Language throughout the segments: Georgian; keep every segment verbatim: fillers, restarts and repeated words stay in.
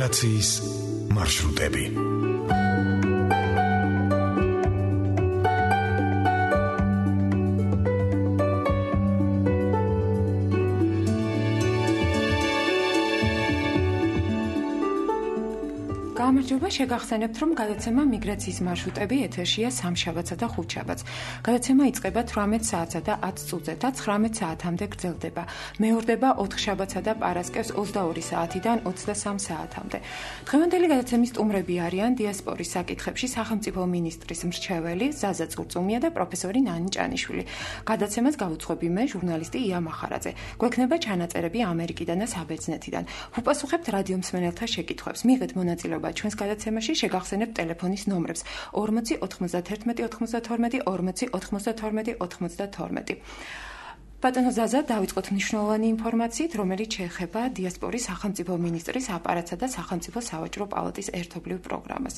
ემიგრაციის მარშრუტები. გამარჯობა, შეგახსენებთ, რომ გადაცემა მიგრაციის მარშრუტები ეთერშია სამშაბათსა და ხუთშაბათს. გადაცემა იწყება თვრამეტ საათსა და ათს წუთზე და ცხრამეტ საათამდე გრძელდება. მეორდება ოთხშაბათსა და პარასკევს ოცდაორი საათიდან ოცდასამ საათამდე. დღევანდელი გადაცემის სტუმრები არიან დიასპორის საკითხებში სახელმწიფო მინისტრის მრჩეველი ზაზა წურწუმია და პროფესორი ნანი ჭანიშვილი. გადაცემას გავუძღვები მე, ჟურნალისტი ია მახარაძე. გვექნება ჩანაწერები ამერიკიდან და საბერძნეთიდან. ვუპასუხებთ რადიო მსმენელთა შეკითხვებს. მიიღეთ მონაწილეობა ჩვენს გადაცემაში, შეგახსენებთ ტელეფონის ნომრებს ორმოცი ოთხმოცდათერთმეტი ოცდათორმეტი ორმოცი ოთხმოცდათორმეტი ოცდათორმეტი. ბატონო ზაზა, დავიწყოთ მნიშვნელოვანი ინფორმაციით, რომელიც შეეხება დიასპორის სახელმწიფო მინისტრის აპარატსა და სახელმწიფო სავაჭრო პალატის ერთობლივ პროგრამას.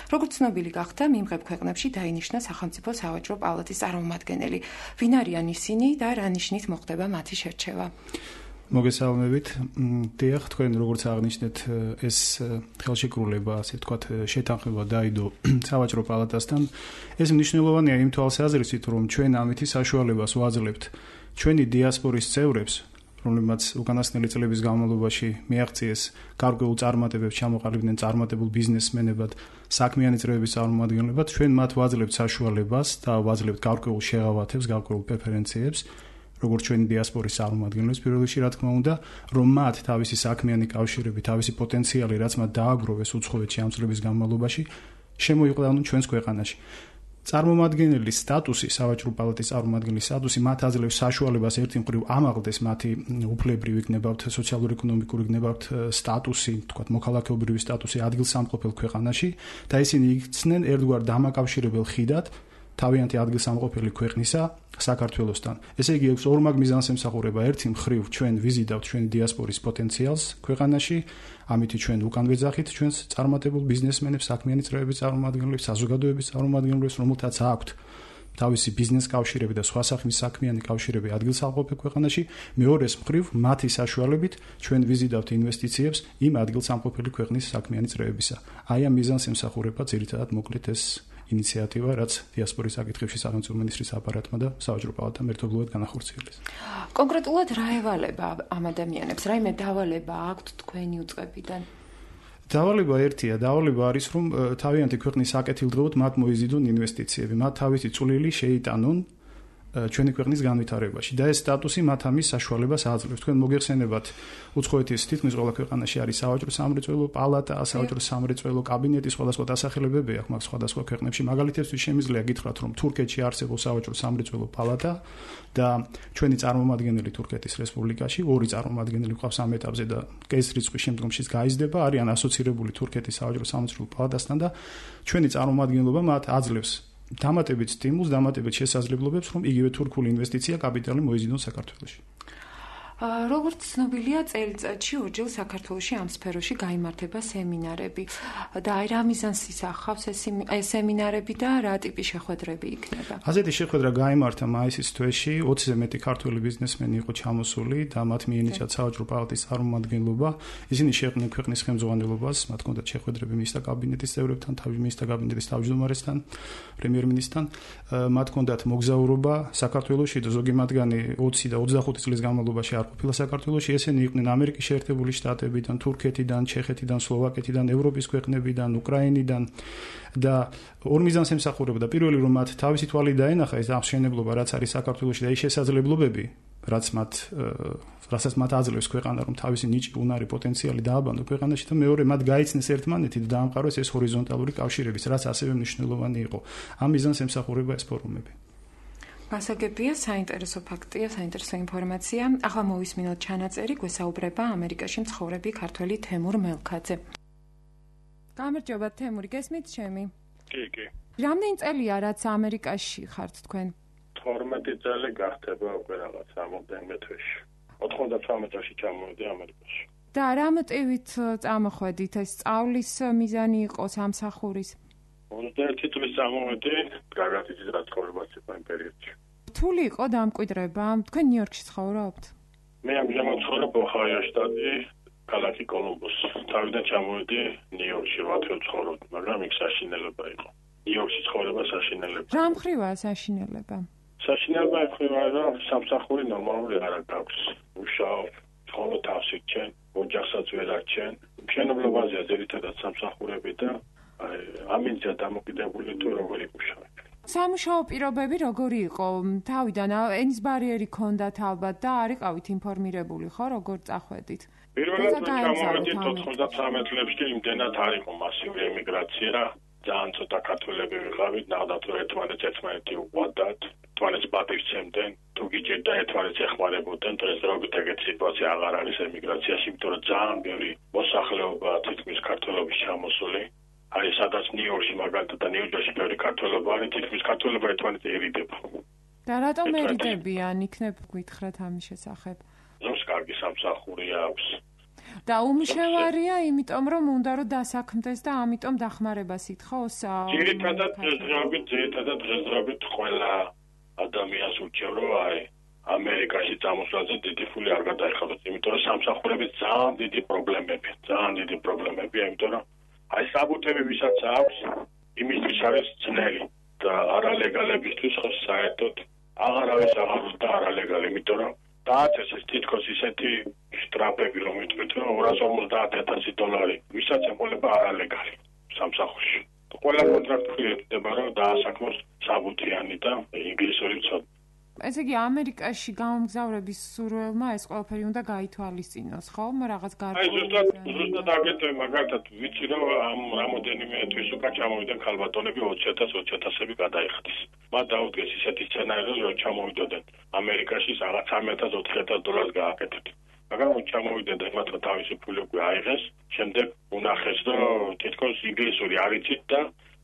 როგორც ცნობილი გახდა, მიმღებ ქვეყნებში დაინიშნა სახელმწიფო სავაჭრო პალატის წარმომადგენელი. ვინ არიან ისინი და რა ნიშნით მოხდება მათი შერჩევა? მოგესალმებით. დიახ, თქვენ როგორც აღნიშნეთ, ეს ხელშეკრულება, ასე ვთქვათ, შეთანხმება დაიდო სავაჭრო პალატასთან. ეს მნიშვნელოვანია იმ თვალსაზრისით, რომ ჩვენ ამითი საშუალებას ვაძლევთ ჩვენი დიასპორის წევრებს, რომლებმაც უკანასკნელი წლების განმავლობაში მიაღწიეს გარკვეულ წარმატებებს, ჩამოყალიბდნენ წარმატებულ ბიზნესმენებად, საქმიანი წრეების წარმომადგენლებად, ჩვენ მათ ვაძლევთ საშუალებას და ვაძლევთ გარკვეულ შეღავათებს, გარკვეულ პრეფერენციებს, როგორც ჩვენი დიასპორის წარმომადგენლებს პირველ რიგში, რა თქმა უნდა, რომ მათ თავისი საქმიანი კავშირები, თავისი პოტენციალი, რაც მათ დააგროვეს უცხოეთში ამ წლების განმავლობაში, შემოიყვანონ ჩვენს ქვეყანაში. წარმომადგენლის სტატუსი, სავაჭრო პალატის წარმომადგენლის სტატუსი მათ აძლევს საშუალებას ერთი მხრივ ამაღლდეს მათი უფლებრივი, იქნებათ სოციალურ-ეკონომიკური, იქნებათ სტატუსი, თქვათ მოქალაქეობრივი სტატუსი ადგილსამყოფელ ქვეყანაში და ისინი იქცნენ ერთგვარ დამაკავშირებელ ხიდად თავიანთი ადგილსამყოფელი ქვეყნისა საქართველოსთან. ესე იგი, აქვს ორმაგ მიზანს ემსახურება. ერთი მხრივ ჩვენ ვიზიდავთ ჩვენი დიასპორის პოტენციალს ქვეყანაში, ამით ჩვენ უკან ვეძახით ჩვენს წარმატებულ ბიზნესმენებს, საქმიანი წრეების წარმომადგენლებს, საზოგადოების წარმომადგენლებს, რომელთაც აქვთ თავისი ბიზნეს კავშირები და სხვა სახის საქმიანი კავშირები ადგილსამყოფელ ქვეყანაში. მეორეს მხრივ, მათი საშუალებით ჩვენ ვიზიდავთ ინვესტიციებს იმ ადგილსამყოფელი ქვეყნის საქმიანი წრეებისა. აი ამ მიზანს ემსახურება ძირითადად მოკლედ ეს ინიციატივა, რაც დიასპორის საკითხებში სახელმწიფო მინისტრის აპარატმა და სავაჭრო პალატამ ერთობლივად განახორციელეს. კონკრეტულად რა ევალება ამ ადამიანებს? რაიმე დავალება აქვთ თქვენი უწყებიდან? დავალება ერთია, დავალება არის, რომ თავიანთი ქვეყნის საკეთილდღეოდ მათ მოიზიდონ ინვესტიციები, მათ თავისი წვლილი შეიტანონ ჩვენი ქვეყნის განვითარებაში და ეს სტატუსი მათ ამის საშუალებას აძლევს. თქვენ მოგეხსენებათ, უცხოეთის თითქმის ყველა ქვეყანაში არის სავაჭრო სამრეწველო პალატა, სავაჭრო სამრეწველო კაბინეტი, სხვადასხვა დასახელებები აქვს მაგ სხვადასხვა ქვეყნებში. მაგალითებისთვის შემიძლია გითხრათ, რომ თურქეთში არსებობს სავაჭრო სამრეწველო პალატა და ჩვენი წარმომადგენელი თურქეთის რესპუბლიკაში, ორი წარმომადგენელი ყავს ამ ეტაპზე და ეს რიცხვი შემდგომშიც გაიზრდება, არიან ასოცირებული თურქეთის სავაჭრო სამრეწველო პალატასთან და ჩვენი წარმომადგენლობა მათ აძლევს დამატებით სტიმულს, დამატებით შესაძლებლობებს, რომ იგივე თურქული ინვესტიცია კაპიტალი მოიზიდონ საქართველოში. როგორც ცნობილია, წელიწადში ორჯერ საქართველოში ამ სფეროში გაიმართება სემინარები და აი რა მიზანს ისახავს ეს სემინარები და რა ტიპის შეხვედრები იქნება? ასეთი შეხვედრა გაიმართა მაისის თვეში, ოცზე მეტი ქართველი ბიზნესმენი იყო ჩამოსული და მათ მიენიჭათ სავაჭრო პალატის წარმომადგენლობა. ისინი შეხვდნენ ქვეყნის ხელმძღვანელობას, მათ ჰქონდათ შეხვედრები მინისტრთა კაბინეტის წევრებთან, თავის მინისტრთა კაბინეტის თავმჯდომარესთან, პრემიერ-მინისტრთან. მათ ჰქონდათ მოგზაურობა საქართველოში და ზოგი მათგანი ოცი და ოცდახუთი წლის განმავლობაში არ ყოფილა საქართველოში. ესენი იყვნენ ამერიკის შეერთებული შტატებიდან, თურქეთიდან, ჩეხეთიდან, სლოვაკეთიდან, ევროპის ქვეყნებიდან, უკრაინიდან და ორ მიზანს ემსახურებოდა. პირველი, რომ მათ თავისი თვალი დაენახა ეს აღმშენებლობა, რაც არის საქართველოში და ის შესაძლებლობები, რაც მათ რასაც მათ აძლევს ქვეყანა, რომ თავისი ნიჭი, უნარი, პოტენციალი დააბანო ქვეყანაში და მეორე, მათ გაიცნეს ერთმანეთით და დაამყაროს ეს ჰორიზონტალური კავშირების, რაც ასევე მნიშვნელოვანი იყო. ამ მიზანს ემსახურება ეს ფორუმები. გასაგებია, საინტერესო ფაქტია, საინტერესო ინფორმაცია. ახლა მოვისმინოთ ჩანაწერი, გვესაუბრება ამერიკაში მცხოვრები ქართველი თემურ მელქაძე. გამარჯობა თემური, გესმით ჩემი? კი, კი. რამდენი წელია რაც ამერიკაში ხართ თქვენ? თორმეტი წელი გახდება უკვე რაღაც ამოდენმე თვეში. ოთხმოცდათვრამეტ წელში ჩამოვედი ამერიკაში. და რა მოტივით წამოხვედით? ეს სწავლის მიზანი იყო სამსახურის? ოცდაერთი წლის წამოვედი, გაგაციცით რა ცხოვრება იყო იმ პერიოდში. რთული იყო დამკვიდრება? თქვენ ნიუ-იორკში ცხოვრობთ? მე ამჟამად ცხოვრობ ოჰაიო შტატში, ქალაქი კოლუმბუსი. თავიდან ჩამოვედი ნიუ-იორკში რვა თვე ცხოვრობდი, მაგრამ იქ საშინელება იყო. ნიუ-იორკში ცხოვრება საშინელება. რა მხრივაა საშინელება? საშინელება ეხება, რომ სამსახური ნორმალური არ აქვს. უშაო, ხოლო თავში ჩენ, ოჯახსაც ვერ არჩენ. მშენებლობაზეა ძირითადად სამსახურები და ამინცია დამოკიდებული თუ როგორი მუშაობ. სამუშაო პირობები როგორი იყო? თავიდან ენის ბარიერი ქონდათ ალბათ და არ იყავით ინფორმირებული, ხო, როგორ წახვედით? პირველად ჩამოვედით ოთხმოცდათვრამეტ წლებში, იმდენად არ იყო მასიური ემიგრაცია, ძალიან ცოტა ქართველები ვიყავით, ნახდათ რომ ერთმანეთს ერთმანეთი უყვარდათ, ერთმანეთს პატივცემდნენ, თუ გიჭირდა ერთმანეთს ეხმარებოდნენ, დღესდღეობით ეგეთი სიტუაცია აღარ არის ემიგრაციაში, იმიტომ რომ ძალიან ბევრი მოსახლეობა თითქმის ქართველობის ჩამოსული. არის სადაც ნიუ-იორკში მაგალითად და ნიუ-ჯერსში ბევრი ქართველობა არის, თითქმის ქართველობა ერთმანეთს ერიდება. და რატომ ერიდებიან, იქნებ გითხრათ ამის შესახებ? ზოგს კარგი სამსახური აქვს. და უმშევარია, იმიტომ რომ უნდა რომ დასაქმდეს და ამიტომ დახმარებას ითხოვს. ძირითადად დღესდღეობით, ძირითადად დღესდღეობით ყველა ადამიანს ურჩევ რომ აი ამერიკაში წამოსვლაზე დიდი ფული არ გადაიხადოს, იმიტომ რომ სამსახურების ძალიან დიდი პრობლემები, ძალიან დიდი პრობლემებია, იმიტომ რომ აი საბუთები ვისაც აქვს, იმისთვის არის ძნელი და არალეგალებისთვის ხო საერთოდ აღარავის აღარ უნდა არალეგალი, იმიტომ რომ დააწესეს თითქოს ისეთი შტრაფები, რომ იტყვით, რომ ორას ორმოცდაათ ათასი დოლარი, ვისაც ეყოლება არალეგალი სამსახურში. ყველა კონტრაქტი ეთდება, რომ დაასაქმოს საბუთიანი და ინგლისური ცოდნა. ესე იგი, ამერიკაში გამომგზავრების სურვილმა ეს ყველაფერი უნდა გაითვალისწინოს, ხო? რაღაც გარკვეული. აი, ზუსტად, ზუსტად აგეთვე, მაგალითად, ვიცი, რომ ამ რამოდენიმე თვის უკან ჩამოვიდნენ ქალბატონები ოცი ათას ოცი ათასები გადაიხადეს. მათ დაუდგეს ისეთი სცენარი, რომ ჩამოვიდოდნენ ამერიკაში რაღაც სამი ათას ოთხი ათას დოლარს გააკეთეთ. მაგრამ ჩამოვიდნენ და მათ თავისი ფული უკვე აიღეს, შემდეგ უნახეს, რომ თითქოს ინგლისური არ იცით და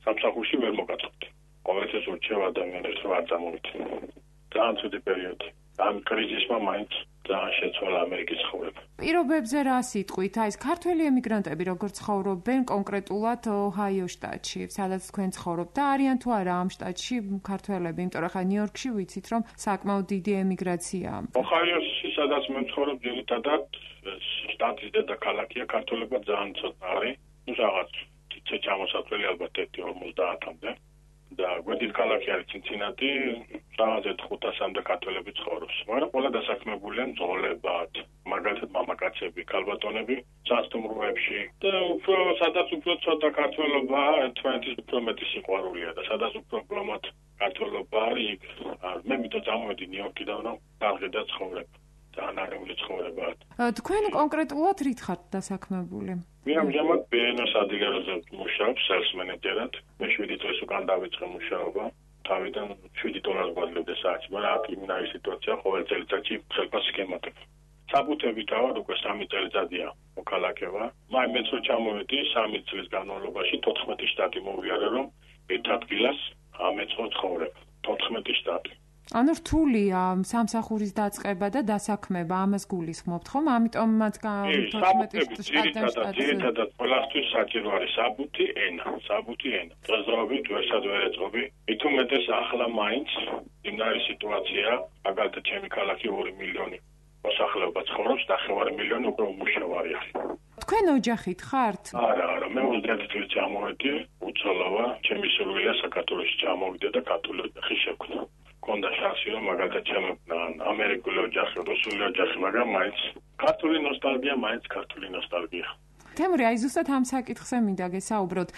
სამსახურში ვერ მოგაწოდეთ. ყოველთვის ურჩევ ადამიანებს, რომ არ წამოვიდნენ. ძალიან ცუდი პერიოდი. ამ კრიზისმა მაინც ძალიან შეცვალა ამერიკის ცხოვრება. პირობებზე რა სიტყვით? აი ეს ქართველი ემიგრანტები როგორ ცხოვრობენ კონკრეტულად ოჰაიო შტატში, სადაც თქვენ ცხოვრობთ და არიან თუ არა ამ შტატში ქართველები, იმიტომ რომ ხა ნიუ-იორკში ვიცით, რომ საკმაოდ დიდი ემიგრაციაა. ოჰაიოში, სადაც მე ვცხოვრობ, ძირითადად შტატის დედაქალაქია, ქართველებმა ძალიან ცოტა არის. ნუ რაღაც ცეცხლ ჩამოსაწველი ალბათ ერთი ორმოცდაათამდე. და გვერდით ქალაქი არის ცინცინატი, რაღაცეთ ხუთასამდე ქართველები ცხოვრობს. მაგრამ ყველა დასაქმებულია მძღოლებად, მაგალითად მამაკაცები, ქალბატონები სასტუმროებში და უფრო სადაც უფრო ცოტა ქართველობა, ერთმანეთის უფრო მეტი სიყვარულია და სადაც უფრო პრომოთ ქართველობა არის, მე მითო წამოვედი ნიუ-იორკიდან, რომ დაღედა ცხოვრება. ძალიან არეული ცხოვრებაა. თქვენ კონკრეტულად რით ხართ დასაქმებული? მე ამჟამად ბი ენ ოს ადგილზე მუშაობ სელს მენეჯერად. მე შვიდი წლის უკან დავიწყე მუშაობა. თავიდან შვიდი დოლარს გვაძლევდა საათში, მაგრამ აქ იმნაირი სიტუაცია ყოველ წელიწადში ხელფასს გემატებ. საბუთები თავად უკვე სამი წელიწადია მოქალაქევა. მაინც მეც რო ჩამოვედი სამი წლის განმავლობაში თოთხმეტი შტატი მოვიარე, რომ ერთ ადგილას ამეწყო ცხოვრება. თოთხმეტი შტატი. ანუ რთულია სამსახურის დაწყება და დასაქმება, ამას გულისხმობთ, ხომ? ამიტომაც თოთხმეტი შტატი ძირითადად ყველასთვის საჭირო არის საბუთი ენა, საბუთი ენა. დღესდღეობით ვერსად ვერ ეწყობი. მით უმეტეს ახლა მაინც იმნაირი სიტუაცია, მაგალითად ჩემი ქალაქი ორი მილიონი მოსახლეობა ცხოვრობს, ნახევარი მილიონი უკვე უმუშევარი არის. თქვენ ოჯახით ხართ? არა, არა, მე ოცდაათი წელი ჩამოვედი, უცოლოა, ჩემი სურვილია საქართველოში ჩამოვიდე და ქართული ოჯახი შევქმნა. კონდა შანსი რომ მაგალითად ჩემო ამერიკული ოჯახი, რუსული ოჯახი, მაგრამ მაინც ქართული ნოსტალგია, მაინც ქართული ნოსტალგია. თემური, აი ზუსტად ამ საკითხზე მინდა გესაუბროთ.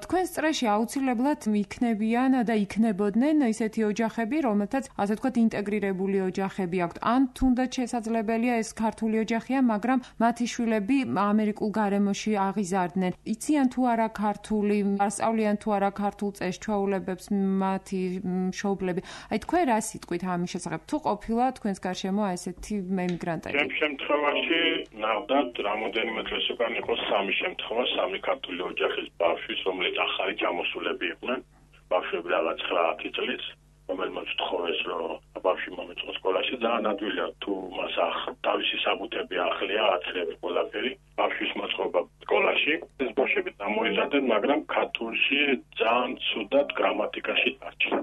თქვენს წრეში აუცილებლად იქნებიან და იქნებოდნენ ისეთი ოჯახები, რომელთაც ასე ვთქვათ ინტეგრირებული ოჯახები აქვთ. ან თუნდაც შესაძლებელია ეს ქართული ოჯახია, მაგრამ მათი შვილები ამერიკულ გარემოში აღიზარდნენ. იციან თუ არა ქართული, ასწავლიან თუ არა ქართულ წეს-ჩვეულებებს მათი მშობლები. აი თქვენ რა სიტყვით ამის შესახებ? თუ ყოფილა თქვენს გარშემო ესეთი ემიგრანტები? ჩემ შემთხვევაში ნახდათ რამოდენიმე დღეს უკან იყო სამი შემთხვევა, სამი ქართული ოჯახის ბავშვის, რომელიც ახალი ჩამოსულები იყვნენ. ბავშვები რაღაც ცხრაათი წლის, რომელმაც თხოვეს, რომ ბავშვი მომეწყო სკოლაში, ძალიან ადვილია თუ მას თავისი საბუთები ახლია, აცრები ყველაფერი. ბავშვის მოწყობა სკოლაში, ეს ბავშვები დამოიზარდნენ, მაგრამ ქართულში ძალიან ცუდად გრამატიკაში დარჩნენ.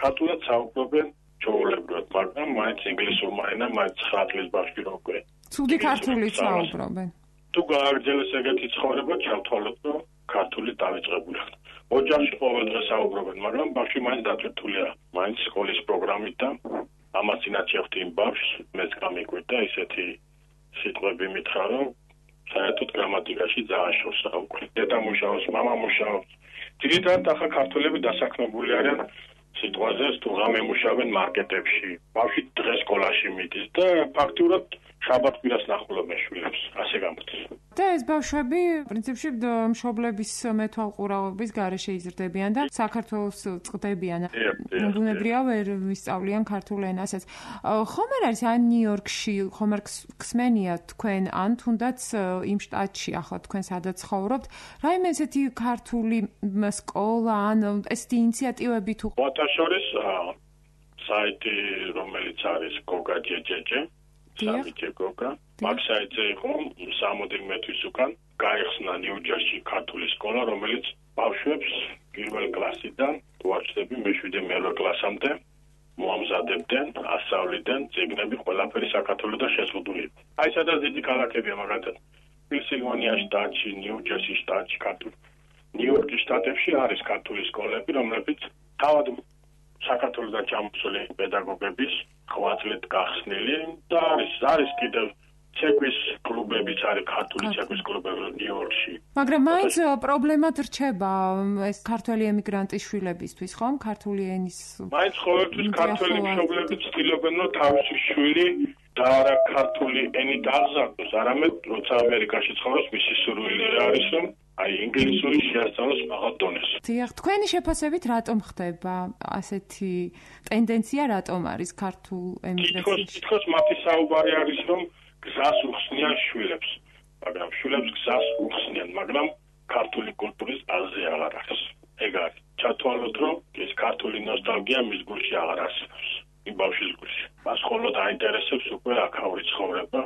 ქართულად საუბრობენ ჩვეულებრივად, მაგრამ მაინც ინგლისურმა ენამ, მაინც ცხრა წლის ბავშვი რო უკვე. ცუდი ქართულით საუბრობენ. თუ გააგრძელეს ეგეთი ცხოვრება, ჩავთვალოთ, რომ ქართული დავიწყებული ხარ. ოჯახში ყოველდღე საუბრობენ, მაგრამ ბავშვი მაინც დაწვეთულია, მაინც სკოლის პროგრამით და ამას ინაჩევთ იმ ბავშვს, მეც გამიკვირდა ისეთი სიტყვები მითხრა, რომ საერთოდ გრამატიკაში ძალიან შორსაა უკვე. დედა მუშაობს, მამა მუშაობს. ძირითადად ახლა ქართველები დასაქმებული არიან სიტყვაზე, თუ ღამე მუშაობენ მარკეტებში. ბავშვი დღეს სკოლაში მიდის და ფაქტურად შაბათ-კვირას ნახულობენ შვილებს, ასე გამოდის. და ეს ბავშვები პრინციპში მშობლების მეთვალყურაობის გარეშე იზრდებიან და საქართველოს წყდებიან. ბუნებრივია ვერ ვისწავლიან ქართულ ენასაც. ხომ არ არის ან ნიუ-იორკში, ხომ არ ხსმენია თქვენ, ან თუნდაც იმ შტატში, ახლა თქვენ სადაც ცხოვრობთ, რაიმე ესეთი ქართული სკოლა, ან ესეთი ინიციატივები თუ მოთაშორის საიტი, რომელიც არის გოგა ჯეჯეჯე სამიჯე გოგა. მაგ საიტზე იყო სამოდელმე თვის უკან გაიხსნა ნიუ-ჯერსში ქართული სკოლა, რომელიც ბავშვებს პირველ კლასიდან ვაჩდები მეშვიდე მერვე კლასამდე მოამზადებდნენ, ასწავლიდნენ წიგნები ყველაფერი საქართველოსთან შეზღუდული. აი სადაც დიდი ქალაქებია მაგალითად პენსილვანია შტატში, ნიუ-ჯერსი შტატში, ქართული ნიუ-იორკის შტატებში არის ქართული სკოლები, რომლებიც თავად საქართველოსთან ჩამოსული პედაგოგების ხვაწლით გახსნილი და არის არის კიდევ ცეკვის კლუბებიც არის ქართული ცეკვის კლუბები ნიუ-იორკში. მაგრამ მაინც პრობლემად რჩება ეს ქართველი ემიგრანტის შვილებისთვის, ხომ? ქართული ენის მაინც ყოველთვის ქართველი მშობლები ცდილობენ, რომ თავისი შვილი და არა ქართული ენით აღზარდოს, არამედ როცა ამერიკაში ცხოვრობს, მისი სურვილი არის, რომ აი ინგლისური შეასწავლოს მაღალ დონეზე. დიახ, თქვენი შეფასებით რატომ ხდება ასეთი ტენდენცია, რატომ არის ქართულ ემიგრაციაში? თითქოს მათი საუბარი არის, რომ გზას უხსნიან შვილებს, მაგრამ შვილებს გზას უხსნიან, მაგრამ ქართული კულტურის აზრი აღარ არის. ეგ არის. ჩათვალოთ, რომ ეს ქართული ნოსტალგია მის გულში აღარ არსებობს. იმ ბავშვის გულში. მას მხოლოდ აინტერესებს უკვე აქაური ცხოვრება,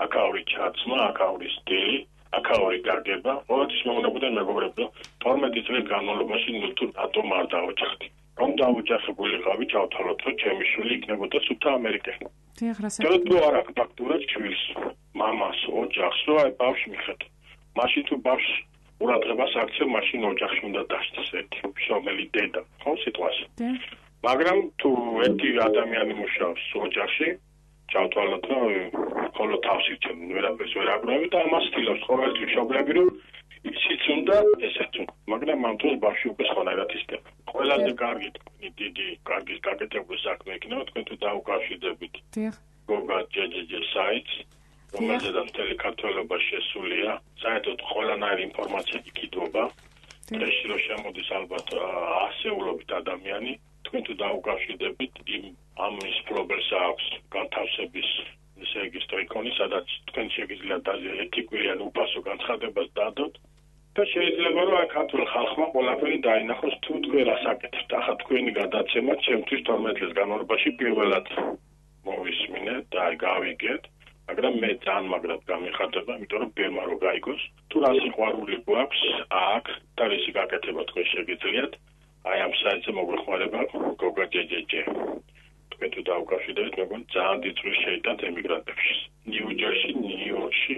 აქაური ჩაცმა, აქაური სტილი, აქაური გაგება. ყოველთვის მეუბნებოდნენ მეგობრებო, თორმეტი წლის განმავლობაში ნუ რატომ არ დავოჯახდი? რომ დავოჯახებულიყავი, ჩავთვალოთ, რომ ჩემი შვილი იქნებოდა სუფთა ამერიკაში. დიახ, რასაც თუ არ აქვს ფაქტურად შვილს, მამას, ოჯახს, რომ აი ბავშვი მიხედა. მაშინ თუ ბავშვს ყურადღებას აქცევ, მაშინ ოჯახში უნდა დასწროს ერთი მშობელი დედა, ხო სიტყვაზე. მაგრამ თუ ერთი ადამიანი მუშაობს ოჯახში, ჩავთვალოთ, რომ ხოლო თავს იცემ, ვერაფერს ვერ აკრავი და ამას ცდილობს ყოველთვის მშობლები, რომ ისიც უნდა, ესეც უნდა. მაგრამ ამ დროს ბავშვი უკვე სხვანაირად ისდება. ყველაზე კარგი, დიდი, კარგი გაკეთებული საქმე იქნება, თქვენ თუ დაუკავშირდებით. დიახ. გოგა ჯეჯეჯე საიტს, რომელზედაც მთელი ქართველობა შესულია, საერთოდ ყველანაირი ინფორმაცია იქიდობა. დღეში რომ შემოდის ალბათ ასეულობით ადამიანი, თქვენ თუ დაუკავშირდებით, იმ ამის პრობლემას აქვს განთავსების რეგისტრი იქონი, სადაც თქვენ შეგიძლიათ ეთიკვიან უფასო განცხადებას დადოთ. და შეიძლება რომ ქართულ ხალხმა ყველაფერი დაინახოს თუ თქვენ რას აკეთებთ. ახლა თქვენი გადაცემა ჩემთვის თორმეტ წლის განმავლობაში პირველად მოვისმინეთ და გავიგეთ, მაგრამ მე ძალიან მაგრად გამიხარდება, იმიტომ რომ ბერმა რო გაიგოს, თუ რა სიყვარული გვაქვს აქ და რისი გაკეთება თქვენ შეგიძლიათ, აი ამ საიტზე მოგვეხმარება გოგა ჯეჯეჯე. თქვენ თუ დაუკავშირდებით, მეგონი ძალიან დიდ წვლილს შეიტანთ ემიგრანტებში. ნიუ-ჯერსში, ნიუ-იორკში,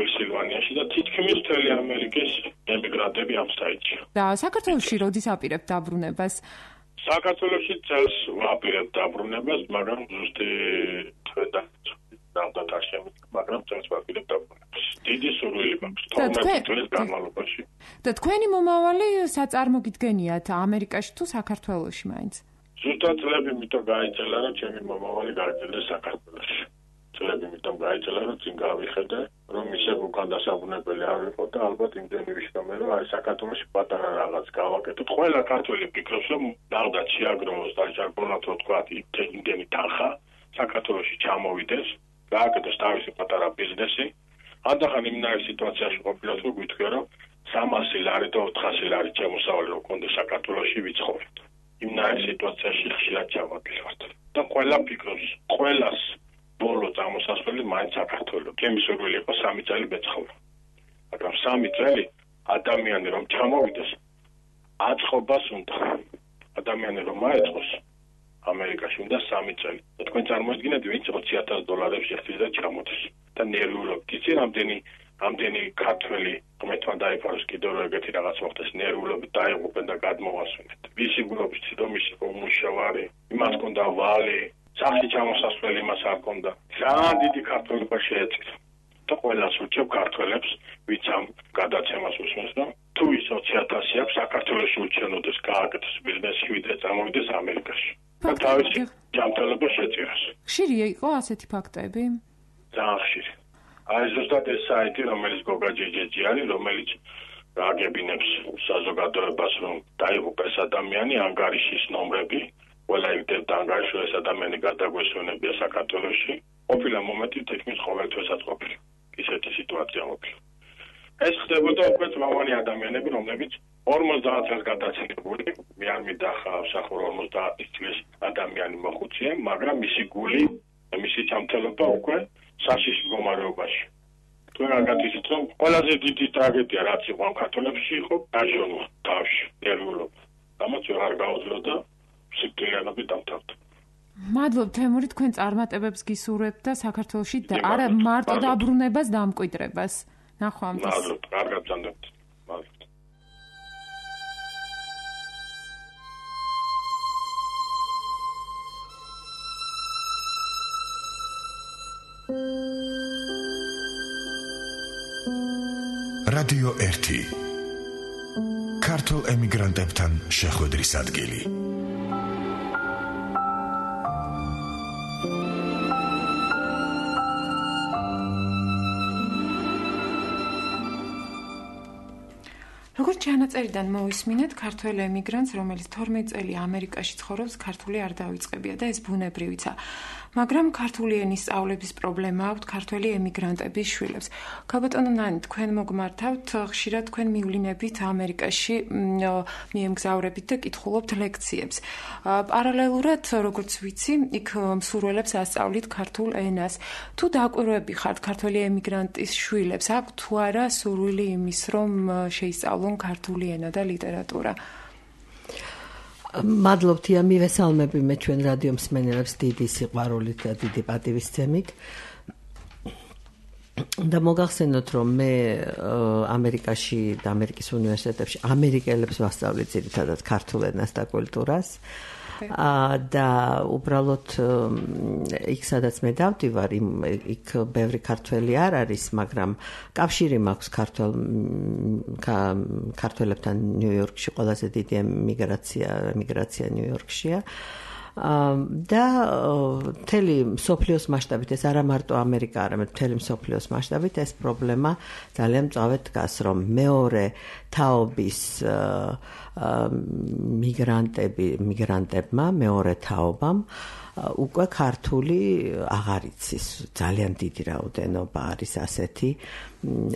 პენსილვანიაში და თითქმის მთელი ამერიკის ემიგრანტები ამ საიტში. და საქართველოში როდის აპირებთ დაბრუნებას? საქართველოში წელს ვაპირებთ დაბრუნებას, მაგრამ ზუსტი თვედა დამტაცემით, მაგრამ წელს ვაპირებთ დაბრუნებას. დიდი სურვილი მაქვს თორმეტ წლის განმავლობაში. და თქვენი მომავალი საწარმოგიდგენიათ ამერიკაში თუ საქართველოში მაინც? ზუსტად წლები მითო გაიძელა, რომ ჩემი მომავალი გაიძელეს საქართველოში. წლები მითო გაიძელა, რომ წინ გავიხედე, რომ ისე უკან დასაბრუნებელი არ ვიყო და ალბათ იმდენი ვიშრომე, რომ აი საქართველოში პატარა რაღაც გავაკეთოთ. ყველა ქართველი ფიქრობს, რომ ნახდა შეაგროვოს და ჟარგონად რო თქვა, იმდენი თანხა საქართველოში ჩამოვიდეს, გააკეთოს თავისი პატარა ბიზნესი. ანდახან იმნაირ სიტუაციაში ყოფილიყო, რომ გვითხრა, რომ სამასი ლარი და ოთხასი ლარი შემოსავალი რო კონდე საქართველოში ვიცხოვრეთ. იმნაირ სიტუაციაში ხშირად ჩავაგდივართ. და ყველა ფიქრობს, ყველას ბოლო წამოსასვლელი მაინც საქართველოს. ჩემი სურვილი იყო სამი წელი მეცხოვრა. მაგრამ სამი წელი ადამიანი რომ ჩამოვიდეს, აწყობას უნდა. ადამიანი რომ აეწყოს ამერიკაში უნდა სამი წელი. თქვენ წარმოიდგინეთ, ვინც ოცი ათას დოლარებს ეხთის და ჩამოდის. და ნერვიულობთ. იცი რამდენი ამდენი ქართველი ღმერთმა დაიფაროს კიდევ ეგეთი რაღაც მოხდეს ნერვულობით დაიღუპენ და გადმოვასვენეთ. ვისი გულობის რომ ისი მომუშავარი, იმას კონდა ვალი, სახში ჩამოსასვლელი მას არ კონდა. ძალიან დიდი ქართველობა შეეწირა. და ყველას უჩებ ქართველებს, ვინც ამ გადაცემას უსმენს, რომ თუ ის ოცი ათასი აქვს საქართველოს უჩვენოდეს გააკეთოს ბიზნესი, ვიდრე წამოვიდეს ამერიკაში. და თავისი ჯანმრთელობა შეწირას. ხშირია იყო ასეთი ფაქტები? ძალიან ხშირი. აი ზუსტად ეს საიტი, რომელიც გოგა ჯეჯეჯი არის, რომელიც აგებინებს საზოგადოებას, რომ დაიღუპეს ადამიანი, ანგარიშის ნომრები, ყველა იგდებდა ანგარიში, ეს ადამიანი გადაგვესვენებია საქართველოში. ყოფილა მომენტი თითქმის ყოველთვისაც ყოფილა. ისეთი სიტუაცია ყოფილა. ეს ხდებოდა უკვე წვავანი ადამიანები, რომლებიც ორმოცდაათ წელს გადაცილებული, მე არ მიდახა სახურო ორმოცდაათი წლის ადამიანი მოხუცია, მაგრამ მისი გული, მისი ჯანმრთელობა უკვე საშიში მდგომარეობაში. თუ არ გაგიცით, რომ ყველაზე დიდი ტრაგედია რაც იყო ამ ქართველებში იყო დაჟონა თავში, ნერვულობა. ამაც არ გაუძლო და სიკვდილიანობით დამთავრდა. მადლობ თემური, თქვენ წარმატებებს გისურვებთ და საქართველოში არა მარტო დაბრუნებას, დამკვიდრებას. ნახვამდის. მადლობ, კარგად გძანდებთ. მადლობ. რადიო ერთი. ქართულ ემიგრანტებთან შეხვედრის ადგილი. როგორც ჩანაწერიდან მოვისმინეთ, ქართველ ემიგრანტს, რომელიც თორმეტ წელი ამერიკაში ცხოვრობს, ქართული არ დავიწყებია და ეს ბუნებრივიცა. მაგრამ ქართული ენის სწავლების პრობლემა აქვს ქართველი ემიგრანტების შვილებს. ქაბატონო ნანი, თქვენ მოგმართავთ, ხშირად თქვენ მივლინებით ამერიკაში, მიემგზავრებით და კითხულობთ ლექციებს. პარალელურად, როგორც ვიცი, იქ მსურველებს ასწავლით ქართულ ენას. თუ დაკვირვები ხართ ქართველი ემიგრანტის შვილებს, აქვს თუ არა სურვილი იმის, რომ შეისწავლონ ქართული ენა და ლიტერატურა? მადლობთ, მივესალმები მე ჩვენ რადიო მსმენელებს დიდი სიყვარულით და დიდი პატივისცემით. და მოგახსენოთ, რომ მე ამერიკაში და ამერიკის უნივერსიტეტებში ამერიკელებს ვასწავლე ძირითადად ქართულ ენას და კულტურას. და უბრალოდ იქ სადაც მე დავდივარ, იქ ბევრი ქართველი არ არის, მაგრამ კავშირი მაქვს ქართველ ქართველებთან ნიუ-იორკში, ყველაზე დიდი ემიგრაცია ემიგრაცია ნიუ-იორკშია. და მთელი მსოფლიოს მასშტაბით, ეს არა მარტო ამერიკა, არამედ მთელი მსოფლიოს მასშტაბით ეს პრობლემა ძალიან მწვავედ დგას, რომ მეორე თაობის მიგრანტები, მიგრანტებმა, მეორე თაობამ უკვე ქართული აღარ იცის, ძალიან დიდი რაოდენობა არის ასეთი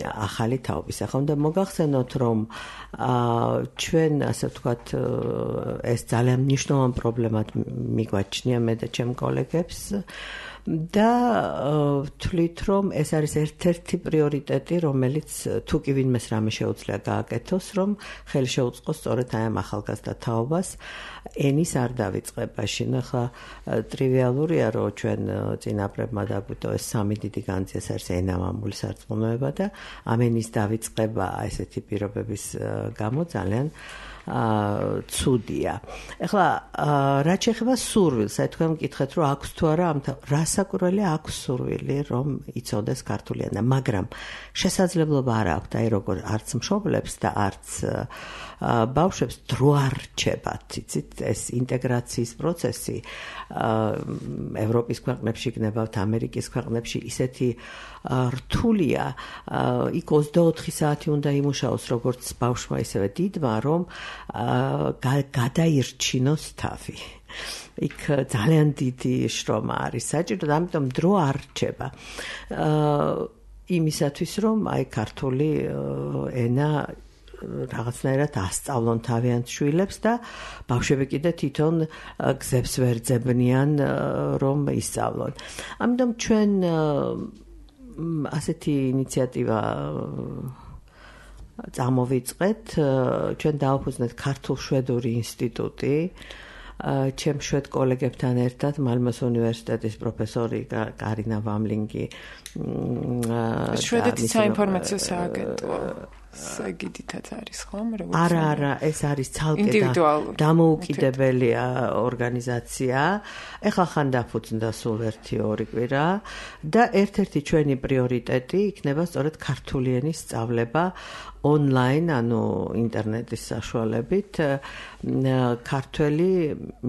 ახალი თაობის. ახლა უნდა მოგახსენოთ, რომ ჩვენ ასე ვთქვათ, ეს ძალიან მნიშვნელოვანი პრობლემად მიგვაჩნია მე და ჩემ კოლეგებს და ვთვლით, რომ ეს არის ერთ-ერთი პრიორიტეტი, რომელიც თუ კი ვინმეს რამე შეუძლია გააკეთოს, რომ ხელი შეუწყოს სწორედ აი ამ ახალგაზრდა თაობას ენის არ დავიწყება. შენ ახლა ტრივიალურია, რომ ჩვენ წინაპრებმა დაგვიტო ეს სამი დიდი განძი, ეს არის ენამამული სარწმუნოება და ამ ენის დავიწყება ესეთი პირობების გამო ძალიან ცუდია. ეხლა რაც შეეხება სურვილს, აი თქვენ მკითხეთ, რომ აქვს თუ არა ამ რასაკვირველი აქვს სურვილი, რომ იცოდეს ქართული ენა, მაგრამ შესაძლებლობა არ აქვს, აი როგორ არც მშობლებს და არც ბავშვებს დრო არ რჩებათ, იცით, ეს ინტეგრაციის პროცესი ევროპის ქვეყნებში გნებავთ, ამერიკის ქვეყნებში ისეთი რთულია, იქ ოცდაოთხი საათი უნდა იმუშაოს როგორც ბავშვმა, ისევე დიდმა, რომ გადაირჩინოს თავი. იქ ძალიან დიდი შრომა არის საჭირო და ამიტომ დრო არ რჩება. იმისათვის, რომ აი ქართული ენა რაღაცნაირად ასწავლონ თავიანთ შვილებს და ბავშვები კიდე თვითონ გზებს ვერ ძებნიან, რომ ისწავლონ. ამიტომ ჩვენ ასეთი ინიციატივა წამოვიწყეთ, ჩვენ დავაფუძნეთ ქართულ-შვედური ინსტიტუტი, ჩემ შვედ კოლეგებთან ერთად მალმოს უნივერსიტეტის პროფესორი კარინა ვამლინგი შვედეთის საინფორმაციო სააგენტო საგიდითაც არის ხომ როგორც არა არა ეს არის ცალკე დამოუკიდებელი ორგანიზაცია ეხლა ხან დაფუძნდა სულ ერთი ორი კვირა და ერთ-ერთი ჩვენი პრიორიტეტი იქნება სწორედ ქართული ენის სწავლება online ანუ ინტერნეტის საშუალებით ქართველი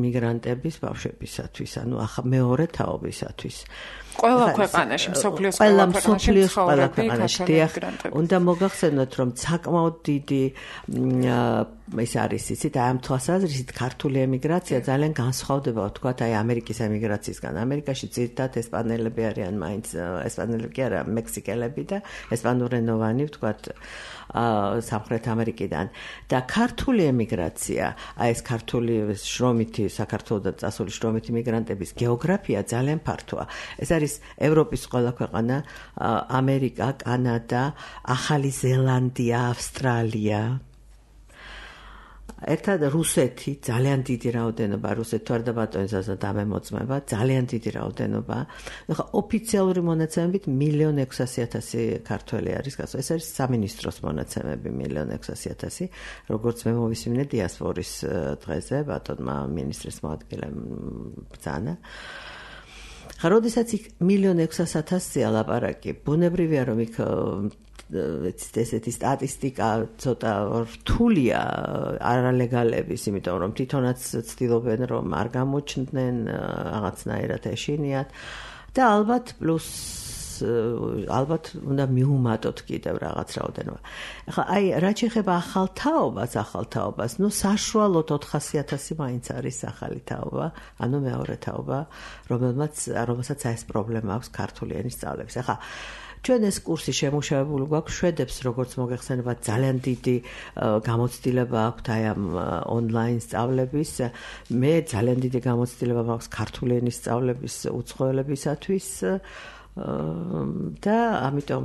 მიგრანტების ბავშვებისათვის ანუ მეორე თაობისათვის ყველა ქვეყანაში მსოფლიოს ყველა მსოფლიოს ყველა ქვეყანაში დიახ უნდა მოგახსენოთ რომ საკმაოდ დიდი ეს არის იცით აი ამ თვალსაზრისით ქართული ემიგრაცია ძალიან განსხვავდება ვთქვათ აი ამერიკის ემიგრაციისგან ამერიკაში ძირითადად ესპანელები არიან მაინც ესპანელები კი არა მექსიკელები და ესპანურენოვანი ვთქვათ სამხრეთ ამერიკიდან და ქართული ემიგრაცია აი ეს ქართული შრომითი საქართველოსთან წასული შრომითი მიგრანტების გეოგრაფია ძალიან ფართოა ეს არის ევროპის ყველა ქვეყანა ამერიკა კანადა ახალი ზელანდია ავსტრალია ერთად რუსეთი ძალიან დიდი რაოდენობა რუსეთი თუ არ დაბატონებსა დამემოწმება ძალიან დიდი რაოდენობა ახლა ოფიციალური მონაცემებით მილიონი ექვსასი ათასი ქართველი არის გასულ ეს არის სამინისტროს მონაცემები მილიონი ექვსასი ათასი როგორც მე მოვისმინე დიასპორის დღეზე ბატონმა მინისტრის მოადგილემ ბრძანა ხა როდესაც იქ მილიონი ექვსასი ათასია ლაპარაკი ბუნებრივია რომ იქ ესეთი სტატისტიკა ცოტა რთულია არალეგალების, იმიტომ რომ თვითონაც ცდილობენ რომ არ გამოჩნდნენ, რაღაცნაირად ეშინიათ და ალბათ პლუს ალბათ უნდა მიუმატოთ კიდევ რაღაც რაოდენობა. ახლა აი რა შეეხება ახალ თაობას, ახალ თაობას, ну საშუალოდ ოთხასი ათასი მაინც არის ახალი თაობა, ანუ მეორე თაობა, რომელმაც რომელსაც ეს პრობლემა აქვს ქართული ენის სწავლების. ახლა ჩვენ ეს კურსი შემუშავებული გვაქვს შვედებს, როგორც მოგეხსენებათ, ძალიან დიდი გამოცდილება აქვთ აი ამ ონლაინ სწავლების. მე ძალიან დიდი გამოცდილება მაქვს ქართული ენის სწავლების უცხოელებისათვის. და ამიტომ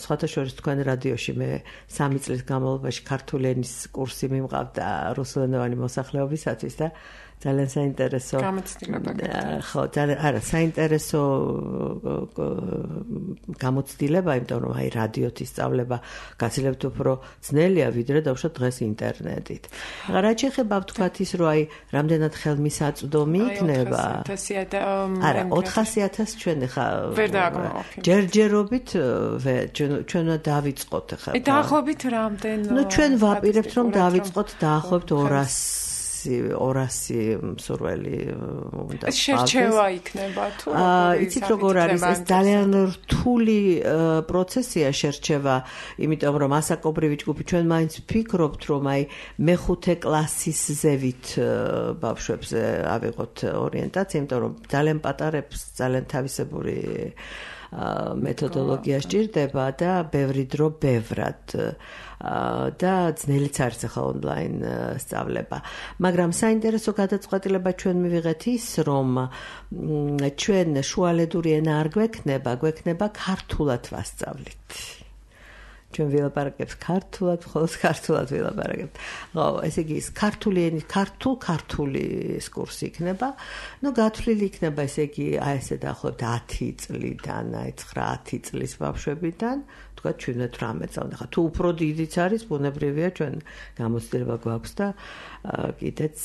სხვათა შორის თქვენ რადიოში მე სამი წლის განმავლობაში ქართული ენის კურსი მიმყავდა რუსულენოვანი მოსახლეობისათვის და ძალიან საინტერესო გამოცდილება ხო ძალიან არა საინტერესო გამოცდილება იმიტომ რომ აი რადიოთ ისწავლება გაცილებით უფრო ძნელია ვიდრე დავუშვათ დღეს ინტერნეტით. ახლა რა შეეხება ვთქვათ ის რომ აი რამდენად ხელმისაწვდომი იქნება არა ოთხასი ათასი ჩვენ ხა ჯერჯერობით ჩვენ დავიწყოთ ხა დაახლოებით რამდენ ნუ ჩვენ ვაპირებთ რომ დავიწყოთ დაახლოებით ორასი ორასი მსურველი უნდა ეს შერჩევა იქნება თუ იცით როგორ არის ეს ძალიან რთული პროცესია შერჩევა იმიტომ რომ ასაკობრივი ჯგუფი ჩვენ მაინც ვფიქრობთ რომ აი მეხუთე კლასის ზევით ბავშვებზე ავიღოთ ორიენტაცია იმიტომ რომ ძალიან პატარებს ძალიან თავისებური მეთოდოლოგია სჭირდება და ბევრი დრო ბევრად და ძნელიც არის ახლა ონლაინ სწავლება. მაგრამ საინტერესო გადაწყვეტილება ჩვენ მივიღეთ ის, რომ ჩვენ შუალედური ენა არ გვექნება, გვექნება ქართულად ვასწავლით. ჩვენ ვილაპარაკებთ ქართულად, ხოლოს ქართულად ვილაპარაკებთ. ხო, ესე იგი, ქართული ენის ქართულ ქართული კურსი იქნება. ნუ გათვლილი იქნება, ესე იგი, აი ესე დაახლოებით ათი წლიდან, აი ცხრა ათი წლის ბავშვებიდან, თქვა ჩვენეთ რამე წავდა. ხა თუ უფრო დიდიც არის, ბუნებრივია ჩვენ გამოცდილება გვაქვს და კიდეც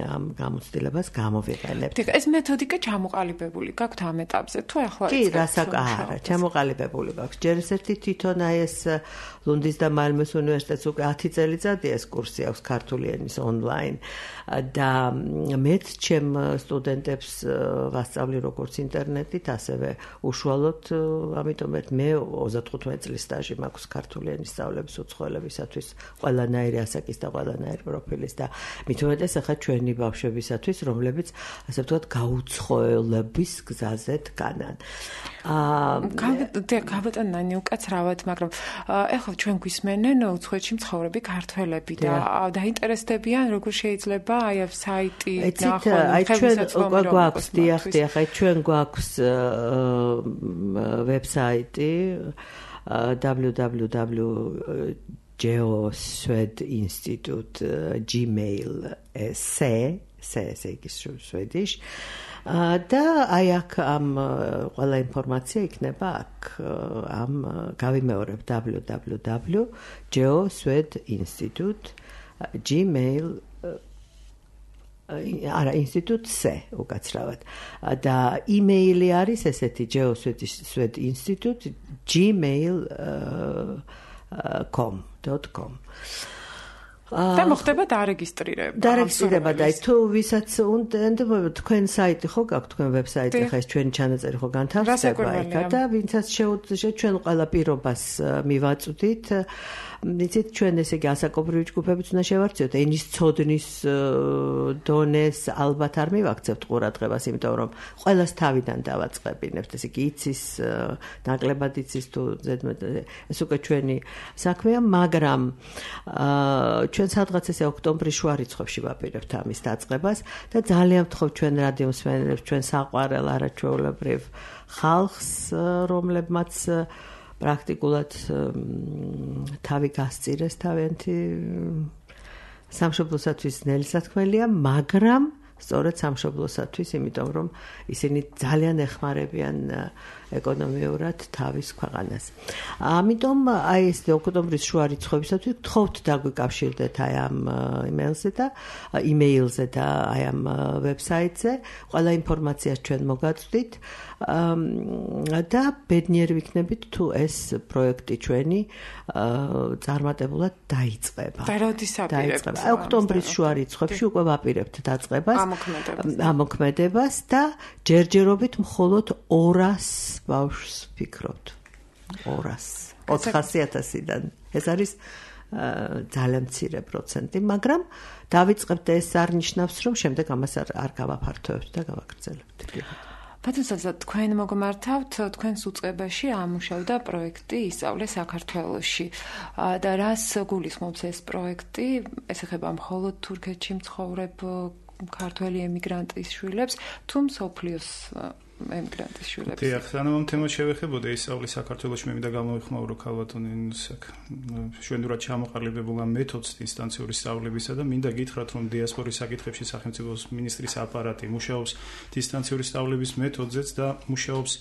ამ გამოცდილებას გამოვიყენებთ. თქო, ეს მეთოდიკა ჩამოყალიბებული გაქვთ ამ ეტაპზე, თუ ახლა კი, რასაკ არა, ჩამოყალიბებული გაქვს. ჯერ ერთი თვითონ აი ეს ლუნდის და მალმეს უნივერსიტეტს უკვე ათი წელიწადია ეს კურსი აქვს ქართული ენის ონლაინ და მეც ჩემ სტუდენტებს ვასწავლი როგორც ინტერნეტით, ასევე უშუალოდ, ამიტომ მე ოცდათხუთმეტი წლის სტაჟი მაქვს ქართული ენის სწავლების უცხოელებისათვის, ყველანაირი ასაკის და ყველანაირი პროფილის და მით უმეტეს ახლა ჩვენი ბავშვებისათვის, რომლებიც ასე ვთქვათ გაუცხოელების გზაზე დგანან. აა გავეტანანი უკაცრავად, მაგრამ ეხლა ჩვენ გვისმენენ უცხოეთში მცხოვრები ქართველები და დაინტერესდებიან როგორ შეიძლება აი ამ საიტი ნახონ აი ჩვენ გვაქვს დიახ დიახ აი ჩვენ გვაქვს ვებსაიტი double-u double-u double-u dot geoswed institute gmail s C ესე იგი Swedish. და აი აქ ამ ყველა ინფორმაცია იქნება აქ ამ გავიმეორებ w w w dot geoswed.institute gmail არა ინსტიტუტ C უკაცრავად და იმეილი არის ესეთი geoswed.institute gmail dot com და მოხდება დარეგისტრირება. დარეგისტრირება და თუ ვისაც უნდა თქვენ საიტი ხო გაქვთ თქვენ ვებსაიტი ხა ეს ჩვენი ჩანაწერი ხო განთავსდება იქ და ვინცაც შეუძლია ჩვენ ყველა პირობას მივაწვდით იცით ჩვენ ესე იგი ასაკობრივი ჯგუფებიც უნდა შევარჩიოთ ენის ცოდნის დონეს ალბათ არ მივაქცევთ ყურადღებას იმიტომ რომ ყველას თავიდან დავაწყებინებთ ესე იგი იცის ნაკლებად იცის თუ ზედმეტ ეს უკვე ჩვენი საქმეა მაგრამ ჩვენ სადღაც ესე ოქტომბრის შუა რიცხვებში ვაპირებთ ამის დაწყებას და ძალიან ვთხოვთ ჩვენ რადიო მსმენელებს ჩვენ საყვარელ არაჩვეულებრივ ხალხს რომლებმაც პრაქტიკულად თავი გასწირეს თავიანთი სამშობლოსათვის ნელი სათქმელია, მაგრამ სწორედ სამშობლოსათვის, იმიტომ რომ ისინი ძალიან ეხმარებიან ეკონომიურად თავის ქვეყანას. ამიტომ აი ეს ოქტომბრის შუა რიცხვებისათვის გთხოვთ დაგვიკავშირდეთ აი ამ იმეილზე და იმეილზე და აი ამ ვებსაიტზე, ყველა ინფორმაციას ჩვენ მოგაწვდით. და ბედნიერი ვიქნებით თუ ეს პროექტი ჩვენი წარმატებულად დაიწყება. და როდის აპირებთ? ოქტომბრის შუა რიცხვებში უკვე ვაპირებთ დაწყებას, ამოქმედებას და ჯერჯერობით მხოლოდ ორას ბავშვს ვფიქრობთ. ორას. ოთხასი ათასიდან. ეს არის ძალიან მცირე პროცენტი, მაგრამ დავიწყებთ ეს არ ნიშნავს, რომ შემდეგ ამას არ გავაფართოვებთ და გავაგრძელებთ. ბატონსა, თქვენ მოგმართავთ, თქვენს უწყებაში ამუშავდა პროექტი ისწავლე საქართველოში. და რას გულისხმობს ეს პროექტი? ეს ეხება მხოლოდ თურქეთში მცხოვრებ ქართველი ემიგრანტის შვილებს, თუ მსოფლიოს ემიგრანტის შვილებს. დიახ, სანამ ამ თემას შევეხებოდა ისწავლე საქართველოში მე მინდა გამოვიხმაურო ქალბატონინს შვედურად ჩამოყალიბებულ ამ მეთოდს დისტანციური სწავლებისა და მინდა გითხრათ რომ დიასპორის საკითხებში სახელმწიფოს მინისტრის აპარატი მუშაობს დისტანციური სწავლების მეთოდზეც და მუშაობს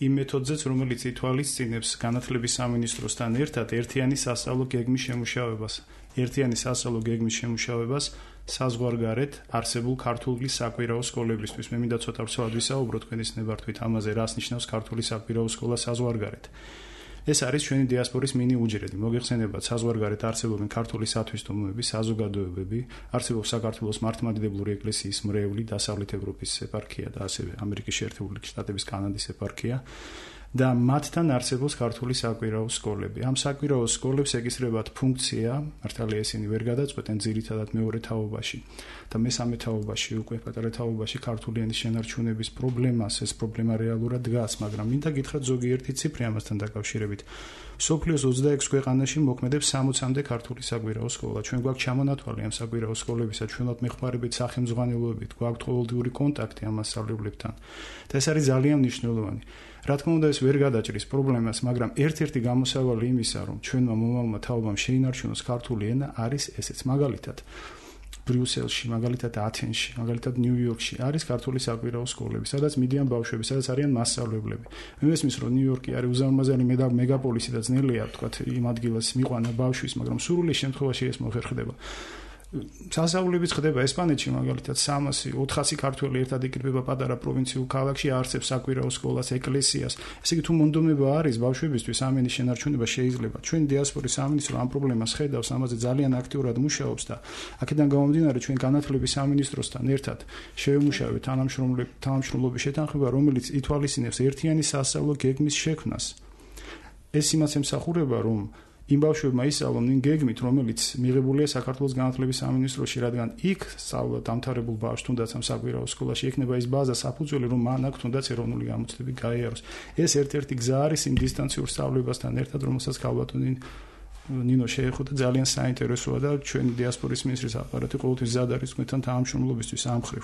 იმ მეთოდზეც რომელიც ითვალისწინებს განათლების სამინისტროსთან ერთად ერთიანი სასწავლო გეგმის შემუშავებას ერთიანი სასწავლო გეგმის შემუშავებას საზღვარგარეთ არსებულ ქართული საკვირაო სკოლებისთვის. მე მინდა ცოტა ვრცელად ვისაუბრო თქვენის ნებართვით ამაზე, რას ნიშნავს ქართული საკვირაო სკოლა საზღვარგარეთ. ეს არის ჩვენი დიასპორის მინი უჯრედი. მოგეხსენებათ, საზღვარგარეთ არსებობენ ქართული სათვისტომოები, საზოგადოებები, არსებობს საქართველოს მართლმადიდებლური ეკლესიის მრევლი, დასავლეთ ევროპის ეპარქია და ასევე ამერიკის შეერთებული შტატების კანადის ეპარქია. და მათთან არსებობს ქართული საკვირაო სკოლები. ამ საკვირაო სკოლებს ეკისრებათ ფუნქცია, მართალია ისინი ვერ გადაწყვეტენ ძირითადად მეორე თაობაში და მესამე თაობაში, უკვე პატარა თაობაში ქართული ენის შენარჩუნების პრობლემას, ეს პრობლემა რეალურად დგას, მაგრამ მინდა გითხრათ ზოგიერთი ციფრი ამასთან დაკავშირებით. სოფლიოს ოცდაექვსი ქვეყანაში მოქმედებს სამოცამდე ქართული საკვირაო სკოლა. ჩვენ გვაქვს ჩამონათვალი ამ საკვირაო სკოლებისა, ჩვენოთ მეხმარებით სახელმძღვანელოებით, გვაქვს ყოველდღიური კონტაქტი ამ მასწავლებლებთან. და ეს არის ძალიან მნიშვნელოვანი. რა თქმა უნდა ეს ვერ გადაჭრის პრობლემას, მაგრამ ერთ-ერთი გამოსავალი იმისა, რომ ჩვენმა მომავალმა თაობამ შეინარჩუნოს ქართული ენა არის ესეც. მაგალითად, ბრიუსელში, მაგალითად ათენში, მაგალითად ნიუ-იორკში არის ქართული საკვირაო სკოლები, სადაც მიდიან ბავშვები, სადაც არიან მასწავლებლები. მე მესმის, რომ ნიუ-იორკი არის უზარმაზარი მეგაპოლისი და ძნელია, თქვათ, იმ ადგილას მიყვანა ბავშვის, მაგრამ სრული შემთხვევაში ეს მოხერხდება. სასწავლებიც ხდება ესპანეთში მაგალითად სამასი ოთხასი ქართველი ერთად იკრიბება პატარა პროვინციულ ქალაქში არსებს საკვირაო სკოლას ეკლესიას ესე იგი თუ მონდომება არის ბავშვებისთვის ამ ენის შენარჩუნება შეიძლება ჩვენი დიასპორის სამინისტრო ამ პრობლემას ხედავს ამაზე ძალიან აქტიურად მუშაობს და აქედან გამომდინარე ჩვენ განათლების სამინისტროსთან ერთად შევემუშავეთ თანამშრომლობის შეთანხმება რომელიც ითვალისწინებს ერთიანი სასწავლო გეგმის შექმნას ეს იმას ემსახურება რომ იმ ბავშვებმა ისწავლონ იმ გეგმით, რომელიც მიღებულია საქართველოს განათლების სამინისტროში, რადგან იქ სწავლა დამთავრებულ ბავშვს თუნდაც ამ საკვირაო სკოლაში ექნება ის ბაზა საფუძველი, რომ მან აქ თუნდაც ეროვნული გამოცდები გაიაროს. ეს ერთ-ერთი გზა არის იმ დისტანციურ სწავლებასთან ერთად, რომელსაც ქალბატონი ნინო შეეხო და ძალიან საინტერესოა და ჩვენი დიასპორის მინისტრის აპარატი ყოველთვის ზად არის თქვენთან თანამშრომლობისთვის ამ მხრივ.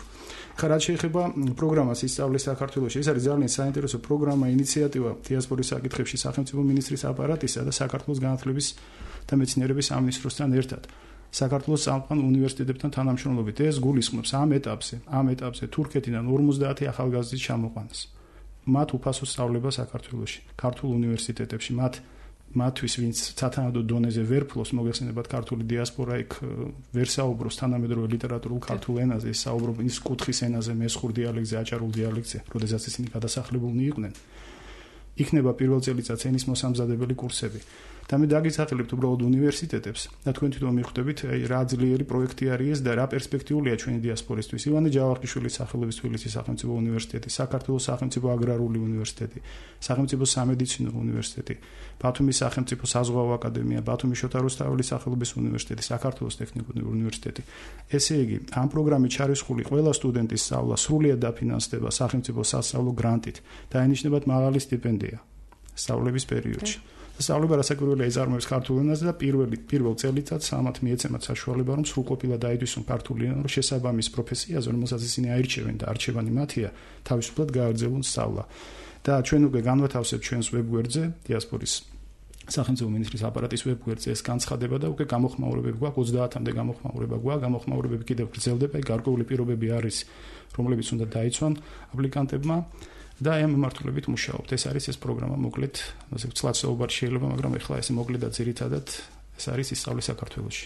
ხა რაც შეეხება პროგრამას ისწავლე საქართველოში, ეს არის ძალიან საინტერესო პროგრამა, ინიციატივა დიასპორის საკითხებში სახელმწიფო მინისტრის აპარატისა და საქართველოს განათლების და მეცნიერების სამინისტროსთან ერთად. საქართველოს სამყარო უნივერსიტეტებთან თანამშრომლობით. ეს გულისხმობს ამ ეტაპზე, ამ ეტაპზე თურქეთიდან ორმოცდაათი ახალგაზრდის ჩამოყვანას. მათ უფასო სწავლება საქართველოში, ქართულ უნივერსიტეტებში, მათ მათთვის, ვინც სათანადო დონეზე ვერ ფლობს, მოგეხსენებათ ქართული დიასპორა იქ ვერ საუბრობს თანამედროვე ლიტერატურულ ქართულ ენაზე, ის საუბრობს ის კუთხის ენაზე, მესხურ დიალექტზე, აჭარულ დიალექტზე, როდესაც ისინი გადასახლებულნი იყვნენ. იქნება პირველ წელიწადს ენის მოსამზადებელი კურსები. და მე დაგისახელებთ უბრალოდ უნივერსიტეტებს და თქვენ თვითონ მიხვდებით, აი რა ძლიერი პროექტი არის ეს და რა პერსპექტიულია ჩვენი დიასპორისთვის. ივანე ჯავახიშვილის სახელობის თბილისის სახელმწიფო უნივერსიტეტი, საქართველოს სახელმწიფო აგრარული უნივერსიტეტი, სახელმწიფო სამედიცინო უნივერსიტეტი, ბათუმის სახელმწიფო საზღვაო აკადემია, ბათუმის შოთა რუსთაველის სახელობის უნივერსიტეტი, საქართველოს ტექნიკური უნივერსიტეტი. ესე იგი, ამ პროგრამით ჩარისხული ყველა სტუდენტის სწავლა სრულიად დაფინანსდება სახელმწიფო სასწავლო გრანტით და ენიშნებათ მაღალი სტიპენდია სწავლების პერიოდში. სწავლება რასაკვირველია იზარმებს ქართულ ენაზე და პირველი პირველ წელიწადს ამათ მიეცემათ საშუალება რომ სრულყოფილად დაიდვისონ ქართული ენა, რომ შესაბამის პროფესიაზე, რომელსაც ისინი აირჩევენ და არჩევანი მათია, თავისუფლად გააგრძელონ სწავლა. და ჩვენ უკვე განვათავსებთ ჩვენს ვებგვერდზე, დიასპორის სახელმწიფო მინისტრის აპარატის ვებგვერდზე ეს განცხადება და უკვე გამოხმაურებები გვაქვს, ოცდაათამდე გამოხმაურება გვაქვს, გამოხმაურებები კიდევ გრძელდება, გარკვეული პირობები არის, რომლებიც უნდა დაიცვან აპლიკანტებმა. და ამ მიმართულებით მუშაობთ. ეს არის ეს პროგრამა, მოკლედ, ასე ვცლად საუბარი შეიძლება, მაგრამ ეხლა ეს მოკლედ და ძირითადად ეს არის ისწავლე საქართველოში.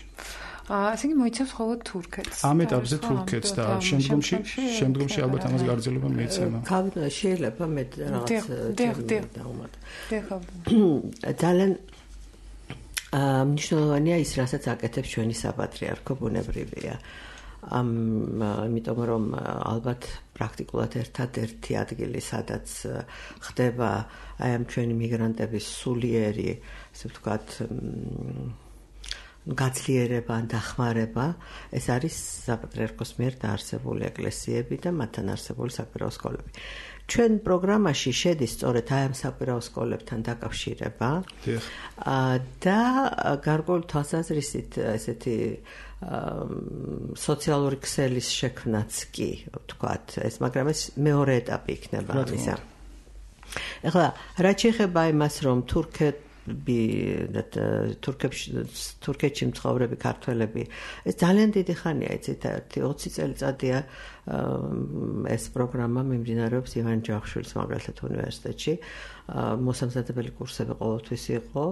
აა, ასე იგი მოიცავს მხოლოდ თურქეთს. ამ ეტაპზე თურქეთს და შემდგომში, შემდგომში ალბათ ამას გაგრძელება მიეცემა. გავიდა შეიძლება მე რაღაც დაუმატო. ძალიან მნიშვნელოვანია ის, რასაც აკეთებს ჩვენი საპატრიარქო ბუნებრივია. ამ იმიტომ რომ ალბათ პრაქტიკულად ერთადერთი ადგილი, სადაც ხდება აი ამ ჩვენი მიგრანტების სულიერი, ასე ვთქვათ, გაძლიერება ან დახმარება, ეს არის საპატრიარქოს მიერ დაარსებული ეკლესიები და მათთან არსებული საკვირაო სკოლები. ჩვენ პროგრამაში შედის სწორედ აი ამ საკვირაო სკოლებთან დაკავშირება და გარკვეული თვალსაზრისით ესეთი სოციალური ქსელის შექმნაც კი, ვთქვათ, ეს, მაგრამ ეს მეორე ეტაპი იქნება ამისა. ეხლა რა შეეხება იმას, რომ თურქეთ თურქეთში მცხოვრები ქართველები, ეს ძალიან დიდი ხანია, იცით, ერთი ოცი წელიწადია ეს პროგრამა მიმდინარეობს ივანე ჯავახიშვილის მაგალითად უნივერსიტეტში. მოსამზადებელი კურსები ყოველთვის იყო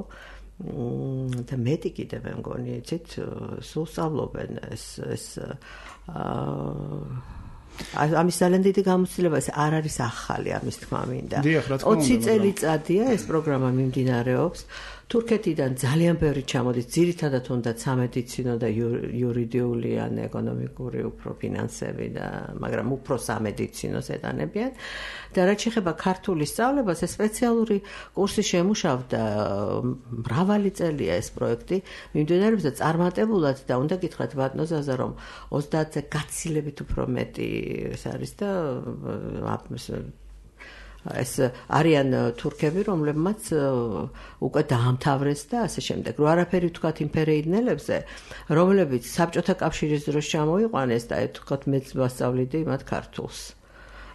და მეტი კიდევ მე მგონი, იცით, სულ სწავლობენ ეს ეს ამის ძალიან დიდი გამოცდილება, ეს არ არის ახალი, ამის თქმა მინდა. ოცი წელიწადია ეს პროგრამა მიმდინარეობს. თურქეთიდან ძალიან ბევრი ჩამოდის, ძირითადად უნდა სამედიცინო და იურიდიული ან ეკონომიკური უფრო ფინანსები და მაგრამ უფრო სამედიცინოს ეტანებიან. და რაც შეეხება ქართული სწავლებას, ეს სპეციალური კურსი შემუშავდა მრავალი წელია ეს პროექტი მიმდინარეობს და წარმატებულად და უნდა გითხრათ ბატონო ზაზა რომ ოცდაათზე გაცილებით უფრო მეტი ეს არის და ეს არიან თურქები, რომლებმაც უკვე დაამთავრეს და ასე შემდეგ. რო არაფერი ვთქვათ იმ ფერეიდნელებზე, რომლებიც საბჭოთა კავშირის დროს ჩამოიყვანეს და ვთქვათ მეც ვასწავლიდი მათ ქართულს.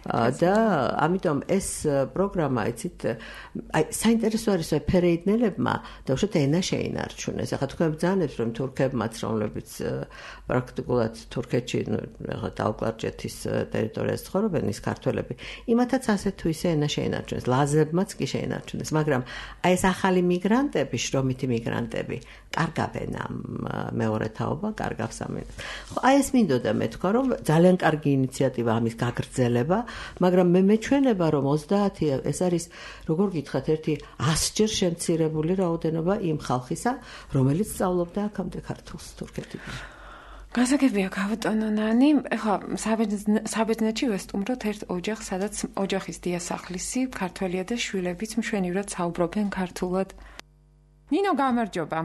და ამიტომ ეს პროგრამა, იცით, აი საინტერესო არის აი ფერეიდნელებმა და უშუალოდ ენა შეინარჩუნეს. ახლა თქვენ ბრძანებთ რომ თურქებმაც, რომლებიც პრაქტიკულად თურქეთში დაუკლარჯეთის ტერიტორიაზე ცხოვრობენ, ის ქართველები, იმათაც ასე თუ ისე ენა შეინარჩუნეს, ლაზებმაც კი შეინარჩუნეს, მაგრამ აი ეს ახალი მიგრანტები, შრომითი მიგრანტები, კარგავენ ამ მეორე თაობა, კარგავს ამას. ხო, აი ეს მინდოდა მე თქვა რომ ძალიან კარგი ინიციატივა ამის გაგრძელება, მაგრამ მე მეჩვენება რომ ოცდაათი ეს არის როგორ გითხრათ ერთი ასჯერ შემცირებული რაოდენობა იმ ხალხისა, რომელიც სწავლობდა აქამდე ქართულს თურქეთიდან. გასაგებია ბატონო ნანი, ეხლა საბერძნეთში ვესტუმროთ ერთ ოჯახს, სადაც ოჯახის დიასახლისი ქართველია და შვილებიც მშვენივრად საუბრობენ ქართულად. ნინო, გამარჯობა.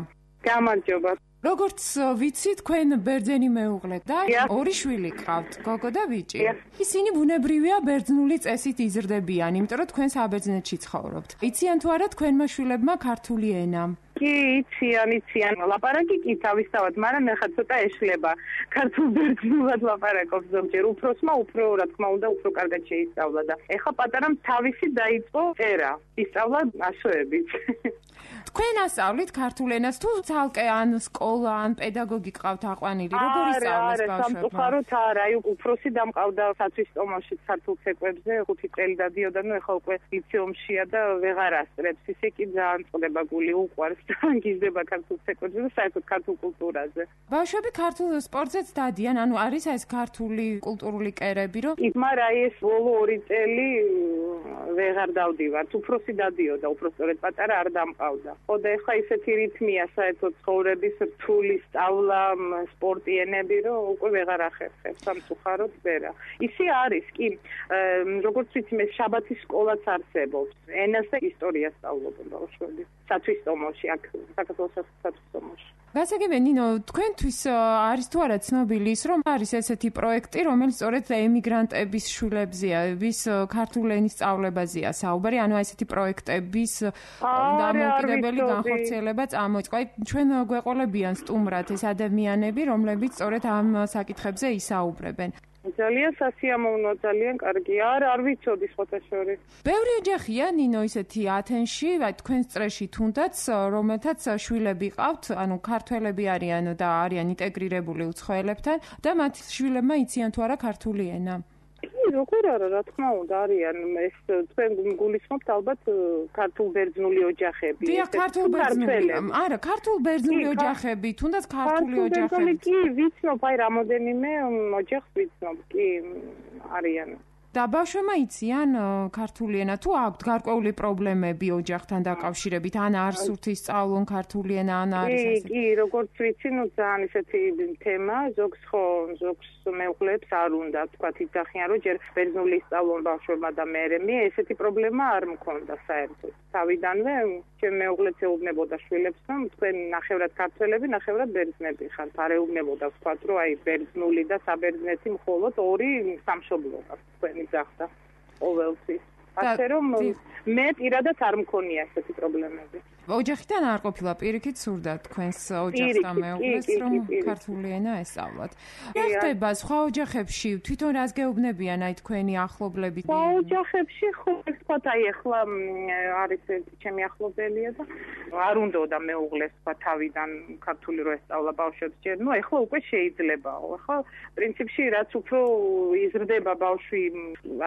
გამარჯობა. როგორც ვიცი, თქვენ ბერძენი მეუღლეთ და ორი შვილი გყავთ, გოგო და ბიჭი. ისინი ბუნებრივია ბერძნული წესით იზრდებიან, იმიტომ რომ თქვენ საბერძნეთში ცხოვრობთ. იციან თუ არა თქვენმა შვილებმა ქართული ენა? კი, იციან, იციან. ლაპარაკი კი თავისთავად, მაგრამ ეხლა ცოტა ეშლება. ქართულ ბერძნულად ლაპარაკობს ზოგჯერ. უფროსმა უფრო, რა თქმა უნდა, უფრო კარგად შეისწავლა და ეხლა პატარამ თავისი დაიწყო წერა. ისწავლა ასოებით. თქვენ ასწავლით ქართულ ენას თუ ცალკე ან სკოლა, ან პედაგოგი ყავთ აყვანილი? როგორ ისწავლეს ბავშვებმა? არა, სამწუხაროდ არა, აი უფროსი დამყავდა სათვისტომოში ქართულ ცეკვებზე, ხუთი წელი დადიოდა, ნუ ეხლა უკვე ლიცეუმშია და ვეღარ ასწრებს. ისე კი ძალიან წყდება გული, უყვარს და გიზდება ქართულ ცეკვებზე და საერთოდ ქართულ კულტურაზე. ბავშვები ქართულ სპორტზეც დადიან, ანუ არის ეს ქართული კულტურული კერები, რომ მაგრამ აი ეს ბოლო ორი წელი ვეღარ დავდივართ. უფროსი დადიოდა, უფრო სწორედ პატარა არ დამყავდა. ხო და ეხლა ისეთი რითმია საერთოდ ცხოვრების რთული სწავლა, სპორტი ენები, რომ უკვე ვეღარ ახერხებს, სამწუხაროდ ვერა. ისე არის, კი, როგორც ვიცი, მე შაბათის სკოლაც არსებობს. ენას და ისტორიას სწავლობენ ბავშვები. სათვისტომოში, აქ საქართველოს სათვისტომოში. გასაგებია, ნინო, თქვენთვის არის თუ არა ცნობილი ის, რომ არის ესეთი პროექტი, რომელიც სწორედ ემიგრანტების შვილებზეა, ვის ქართულ ენის სწავლებაზეა საუბარი, ანუ ესეთი პროექტების დამოუკიდებელი განხორციელება წამოიწყო. აი, ჩვენ გვეყოლებიან სტუმრად ეს ადამიანები, რომლებიც სწორედ ამ საკითხებზე ისაუბრებენ. ძალიან სასიამოვნო, ძალიან კარგი. არა, არ ვიცოდი სხვათაშორის. ბევრი ოჯახია, ნინო, ისეთი ათენში, აი თქვენს წრეში თუნდაც, რომელთაც შვილები ყავთ, ანუ ქართველები არიან და არიან ინტეგრირებული უცხოელებთან და მათ შვილებმა იციან თუ არა ქართული ენა. კი, როგორ არა, რა თქმა უნდა, არიან ეს თქვენ გულისხმობთ ალბათ ქართულ ბერძნული ოჯახები. დიახ, ქართულ ბერძნული. არა, ქართულ ბერძნული ოჯახები, თუნდაც ქართული ოჯახები. კი, ვიცნობ, აი რამოდენიმე ოჯახს ვიცნობ, კი, არიან. და ბავშვებმა იციან ქართული ენა თუ აქვთ გარკვეული პრობლემები ოჯახთან დაკავშირებით, ან არ სურთ ისწავლონ ქართული ენა, ან არის ასე. კი, კი, როგორც ვიცი, ნუ ძალიან ისეთი თემა, ზოგს ხო, ზოგს მეუღლებს არ უნდა, თქვათ, იძახიან, რომ ჯერ ბერძნული ისწავლონ ბავშვებმა და მერე მე ესეთი პრობლემა არ მქონდა საერთოდ. თავიდანვე ჩემ მეუღლეც ეუბნებოდა შვილებს, რომ თქვენ ნახევრად ქართველები, ნახევრად ბერძნები ხართ. არ ეუბნებოდა, თქვათ, რომ აი ბერძნული და საბერძნეთი მხოლოდ ორი სამშობლოა თქვენი ძახდა ყოველთვის. ასე რომ მე პირადად არ მქონია ესეთი პრობლემები. ოჯახიდან არ ყოფილა პირიქით სურდა თქვენს ოჯახს და მეუღლეს რომ ქართული ენა ესწავლათ. რა ხდება სხვა ოჯახებში? თვითონ რას გეუბნებიან აი თქვენი ახლობლები? სხვა ოჯახებში ხო ვთქვათ აი ახლა არის ერთი ჩემი ახლობელია და არ უნდოდა მეუღლეს თქვა თავიდან ქართული რო ესწავლა ბავშვებს ჯერ. ნუ ახლა უკვე შეიძლებაო. ახლა პრინციპში რაც უფრო იზრდება ბავშვი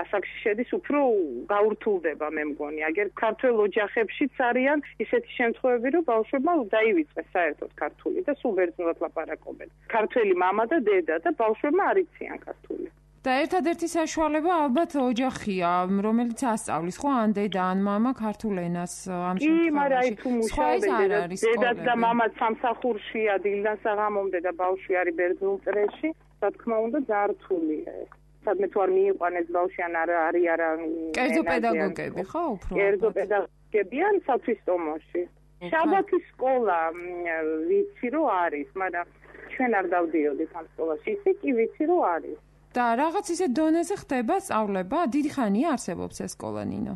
ასაკში შედის, უფრო გაურთულდება მე მგონი. აგერ ქართულ ოჯახებშიც არიან ისეთი შემთხვევები, რომ ბავშვებმა დაივიწყეს საერთოდ ქართული და სულ ბერძნულად ლაპარაკობენ. ქართველი მამა და დედა და ბავშვებმა არ იციან ქართული. და ერთადერთი საშუალება ალბათ ოჯახია, რომელიც ასწავლის, ხო, ან დედა, ან მამა ქართულ ენას ამ შემთხვევაში. კი, მაგრამ აი თუ მუშაობენ, დედაც და მამაც სამსახურშია დილიდან საღამომდე და ბავშვი არის ბერძნულ წრეში, რა თქმა უნდა, ძალიან რთულია ეს. სადმე თუ არ მიიყვანეს ბავშვი ან არ არის არა კერძო პედაგოგები, ხო, უფრო? კერძო პედაგოგები ან სათვისტომოში. შაბათის სკოლა ვიცი რომ არის, მაგრამ ჩვენ არ დავდიოდით ამ სკოლაში. ისე კი ვიცი რომ არის. და რაღაც ისე დონეზე ხდება სწავლება? დიდი ხანია არსებობს ეს სკოლა, ნინო?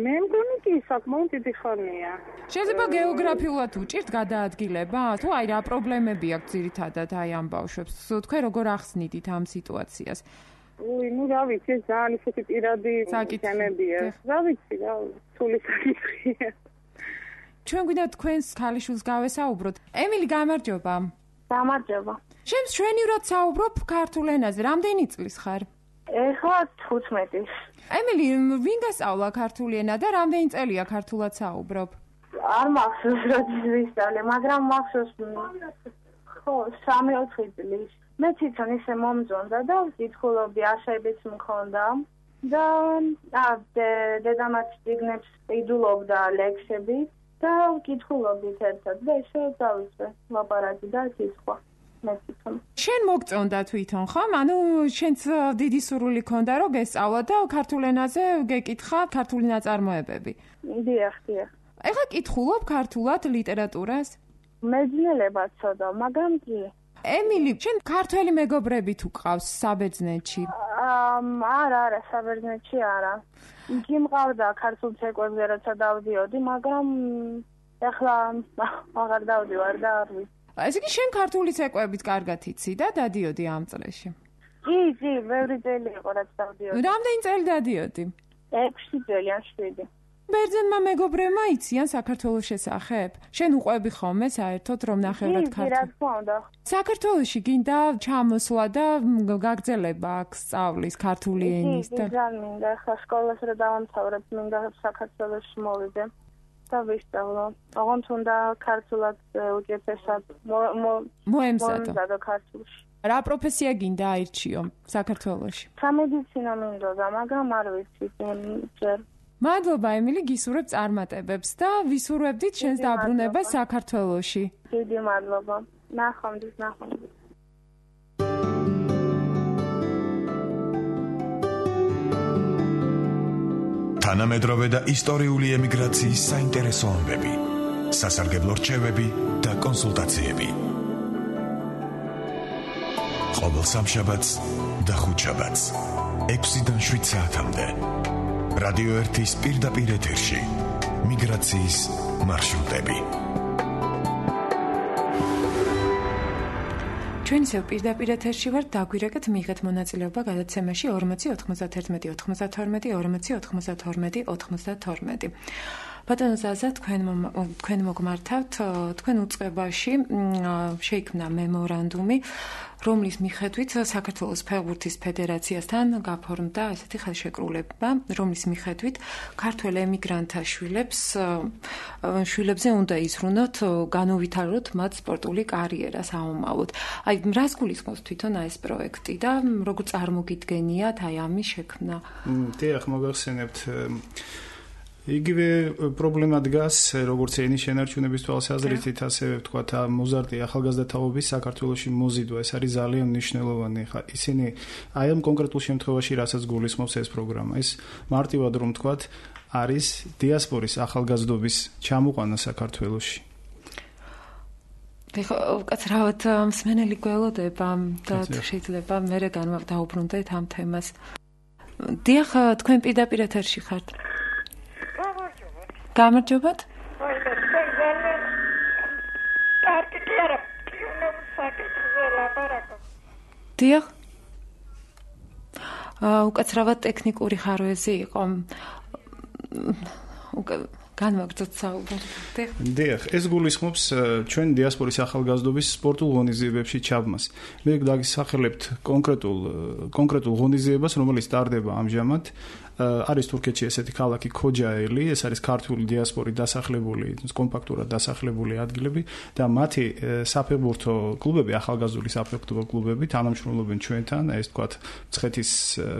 მე მგონი კი საკმაოდ დიდი ხანია. შეიძლება გეოგრაფიულად უჭირთ გადაადგილება? თუ აი რა პრობლემები აქვს ძირითადად აი ამ ბავშვებს? თქვენ როგორ ახსნიდით ამ სიტუაციას? უი, ნუ რა ვიცი, ეს ძალიან ისეთი პირადი თემებია. რა ვიცი, რა თული საკითხია. ჩვენ გვინდა თქვენს ქალიშვილს გავესაუბროთ. ემილი, გამარჯობა. გამარჯობა. შენ მშვენივრად საუბრობ ქართულ ენაზე. რამდენი წლის ხარ? ეხლა თხუთმეტი. ემილი, ვინ გასწავლა ქართული ენა და რამდენი წელია ქართულად საუბრობ? არ მახსოვს როდის ვისწავლე, მაგრამ მახსოვს ხო, სამი ოთხი წლის. მე თვითონ ისე მომწონდა და ვკითხულობდი, აშებიც მქონდა და დედამაც წიგნებს ყიდულობდა ლექსები და ვკითხულობდით ერთად და ესე დავიწყე ლაპარაკი და კითხვა. შენ მოგწონდა თვითონ, ხომ? ანუ შენც დიდი სურვილი ქონდა რომ გესწავლა და ქართულ ენაზე გეკითხა ქართული ნაწარმოებები. დიახ, დიახ. ეხლა კითხულობ ქართულად ლიტერატურას? მეძნელებად ცოტა, მაგრამ კი. ემილი, შენ ქართველი მეგობრები თუ ყავს საბერძნეთში? არა, არა, საბერძნეთში არა. იგი მყავდა ქართულ ცეკვებზე, როცა დავდიოდი, მაგრამ ეხლა აღარ დავდივარ და არ ვიცი. ესე იგი შენ ქართული ცეკვებით კარგად იცი და დადიოდი ამ წრეში? კი, კი, ბევრი წელი იყო რაც დავდიოდი. რამდენი წელი დადიოდი? ექვსი წელი ან შვიდი. ბერძენმა მეგობრებმა იციან საქართველოს შესახებ? შენ უყვები ხოლმე საერთოდ რომ ნახევრად ქართული? კი, რა თქმა უნდა. საქართველოში გინდა ჩამოსვლა და გაგრძელება აქ სწავლის ქართული ენის და? კი, ძალიან მინდა, ახლა სკოლას რა დავამთავრებ, მინდა საქართველოში მოვიდე. და ვისწავლო. ოღონდ უნდა ქართულად უჯეფესად მოემზადო ქართულში. რა პროფესია გინდა აირჩიო საქართველოში? სამედიცინო მინდოდა, მაგრამ არ ვიცი ჯერ. მადლობა ემილი, გისურვებ წარმატებებს და ვისურვებდით შენს დაბრუნებას საქართველოში. დიდი მადლობა. ნახვამდის, ნახვამდის. თანამედროვე და ისტორიული ემიგრაციის საინტერესო ამბები, სასარგებლო რჩევები და კონსულტაციები. ყოველ სამშაბათს და ხუთშაბათს ექვსიდან შვიდ საათამდე რადიო ერთის პირდაპირ ეთერში მიგრაციის მარშრუტები. ჩვენ ისევ პირდაპირ ეთერში ვართ, დაგვირეკეთ მიიღეთ მონაწილეობა გადაცემაში ორმოცი ოთხმოცდათერთმეტი ოცდათორმეტი ორმოცი ოთხმოცდათორმეტი ოცდათორმეტი. ბატონო ზაზა, თქვენ თქვენ მოგმართავთ, თქვენ უწყებაში შეიქმნა მემორანდუმი, რომლის მიხედვით საქართველოს ფეხბურთის ფედერაციასთან გაფორმდა ესეთი ხელშეკრულება, რომლის მიხედვით ქართველ ემიგრანტთა შვილებს შვილებზე უნდა იზრუნოთ, განუვითაროთ მათ სპორტული კარიერა საომავლოდ. აი, რას გულისხმობს თვითონ ეს პროექტი და როგორ წარმოგიდგენიათ აი ამის შექმნა? დიახ, მოგახსენებთ იგივე პრობლემა დგას, როგორც ენის შენარჩუნების თვალსაზრისით, ასევე ვთქვათ, მოზარდი ახალგაზრდა თაობის საქართველოში მოზიდვა, ეს არის ძალიან მნიშვნელოვანი. ხა ისინი აი ამ კონკრეტულ შემთხვევაში რასაც გულისხმობს ეს პროგრამა, ეს მარტივად რომ ვთქვათ, არის დიასპორის ახალგაზრდობის ჩამოყვანა საქართველოში. ეხლა უკაცრავად მსმენელი გველოდება და შეიძლება მერე დავუბრუნდეთ ამ თემას. დიახ, თქვენ პირდაპირ ეთერში ხართ. გამარჯობათ. დიახ. უკაცრავად ტექნიკური ხარვეზი იყო. განვაგრძოთ საუბარი. დიახ, ეს გულისხმობს ჩვენ დიასპორის ახალგაზრდობის სპორტულ ღონისძიებებში ჩაბმას. მე დაგისახელებთ კონკრეტულ კონკრეტულ ღონისძიებას, რომელიც ტარდება ამჟამად. არის თურქეთში ესეთი ქალაქი ქოჯაელი, ეს არის ქართული დიასპორი დასახლებული, კომპაქტურად დასახლებული ადგილები და მათი საფეხბურთო კლუბები, ახალგაზრდული საფეხბურთო კლუბები თანამშრომლობენ ჩვენთან, ეს თქვათ მცხეთის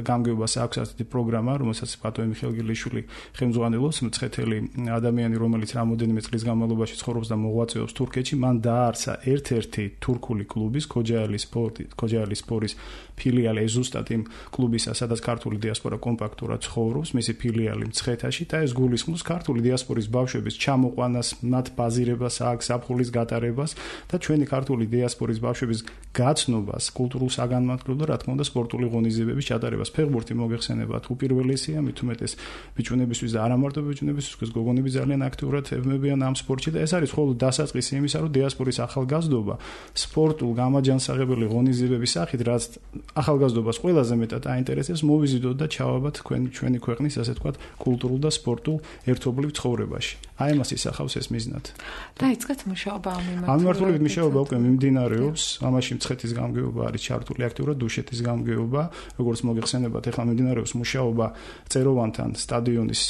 გამგეობას აქვს ასეთი პროგრამა, რომელსაც ბატონი მიხეილ გილეშვილი ხელმძღვანელობს, მცხეთელი ადამიანი, რომელიც რამოდენიმე წლის განმავლობაში ცხოვრობს და მოღვაწეობს თურქეთში, მან დააარსა ერთ-ერთი თურქული კლუბის, ქოჯაელის სპორტი, ქოჯაელის სპორის ფილიალი, ეს ზუსტად იმ კლუბისა, სადაც ქართული დიასპორა კომპაქტურად ცხოვრობს, მისი ფილიალი მცხეთაში და ეს გულისხმობს ქართული დიასპორის ბავშვების ჩამოყვანას, მათ ბაზირებას, აქ საფხულის გატარებას და ჩვენი ქართული დიასპორის ბავშვების გაცნობას, კულტურულ საგანმანათლებლო და რა თქმა უნდა სპორტული ღონისძიებების ჩატარებას. ფეხბურთი მოგეხსენებათ უპირველესია, მით უმეტეს ბიჭუნებისთვის და არა მარტო ბიჭუნებისთვის, გოგონები ძალიან აქტიურად ებმებიან ამ სპორტში და ეს არის მხოლოდ დასაწყისი იმისა, რომ დიასპორის ახალგაზრდობა სპორტულ გამაჯანსაღებელი ღონისძიებების სახით, რაც ახალგაზრდობას ყველაზე მეტად აინტერესებს, მოვიზიდოთ და ჩავაბათ თქვენ ჩვენი ქვეყნის, ასე ვთქვათ, კულტურულ და სპორტულ ერთობლივ ცხოვრებაში. აი ამას ისახავს ეს მიზნად. დაიწყეთ მუშაობა ამ მიმართულებით. ამ მიმართულებით მუშაობა უკვე მიმდინარეობს. ამაში მცხეთის გამგეობა არის ჩართული აქტიურად, დუშეთის გამგეობა, როგორც მოგეხსენებათ, ახლა მიმდინარეობს მუშაობა წეროვანთან სტადიონის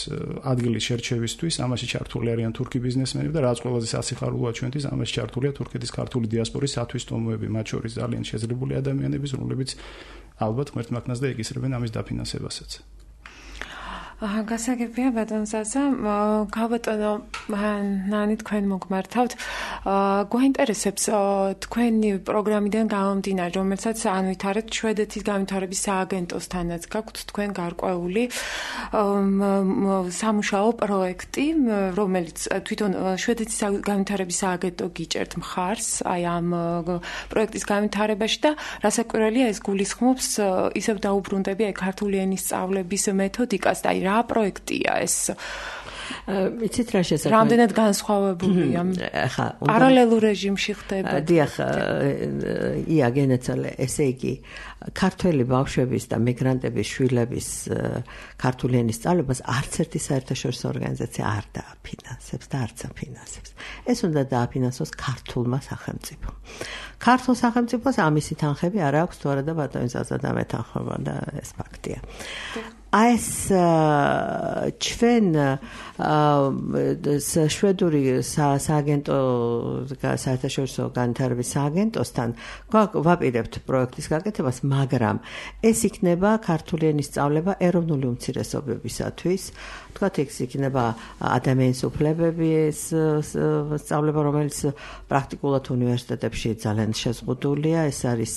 ადგილის შერჩევისთვის. ამაში ჩართული არიან თურქი ბიზნესმენები და რაც ყველაზე სასიხარულოა ჩვენთვის, ამაში ჩართულია თურქეთის ქართული დიასპორის სათვისტომოები, მათ შორის ძალიან შეძლებული ადამიანები, რომლებიც ალბათ ღმერთმაქნას და ეკისრებენ ამის დაფინანსებასაც. აა გასაგებია ბატონ ზაზა, გავბატონო ნანი თქვენ მოგმართავთ. აა გვაინტერესებს თქვენი პროგრამიდან გამომდინარე, რომელსაც ანვითარებთ შვედეთის განვითარების სააგენტოსთანაც გაქვთ თქვენ გარკვეული სამუშაო პროექტი, რომელიც თვითონ შვედეთის განვითარების სააგენტო გიჭერთ მხარს აი ამ პროექტის განვითარებაში და რასაკვირველია ეს გულისხმობს ისევ დაუბრუნდები აი ქართული ენის სწავლების მეთოდიკას და აი რა პროექტია ეს? იცით რა შესაძლოა? რამდენად განსხვავებულია? ხა, პარალელურ რეჟიმში ხდება. დიახ, ია გენაცალე, ესე იგი, ქართველი ბავშვების და მიგრანტების შვილების ქართული ენის სწავლებას არც ერთი საერთაშორისო ორგანიზაცია არ დააფინანსებს და არც აფინანსებს. ეს უნდა დააფინანსოს ქართულმა სახელმწიფომ. ქართულ სახელმწიფოს ამისი თანხები არ აქვს თუ არა და ბატონი ზაზადა მეთანხმება და ეს ფაქტია. აი ეს ჩვენ შვედური სააგენტო საერთაშორისო განვითარების სააგენტოსთან ვაპირებთ პროექტის გაკეთებას, მაგრამ ეს იქნება ქართული ენის სწავლება ეროვნული უმცირესობებისათვის. თქვათ, ეს იქნება ადამიანის უფლებების სწავლება, რომელიც პრაქტიკულად უნივერსიტეტებში ძალიან შეზღუდულია, ეს არის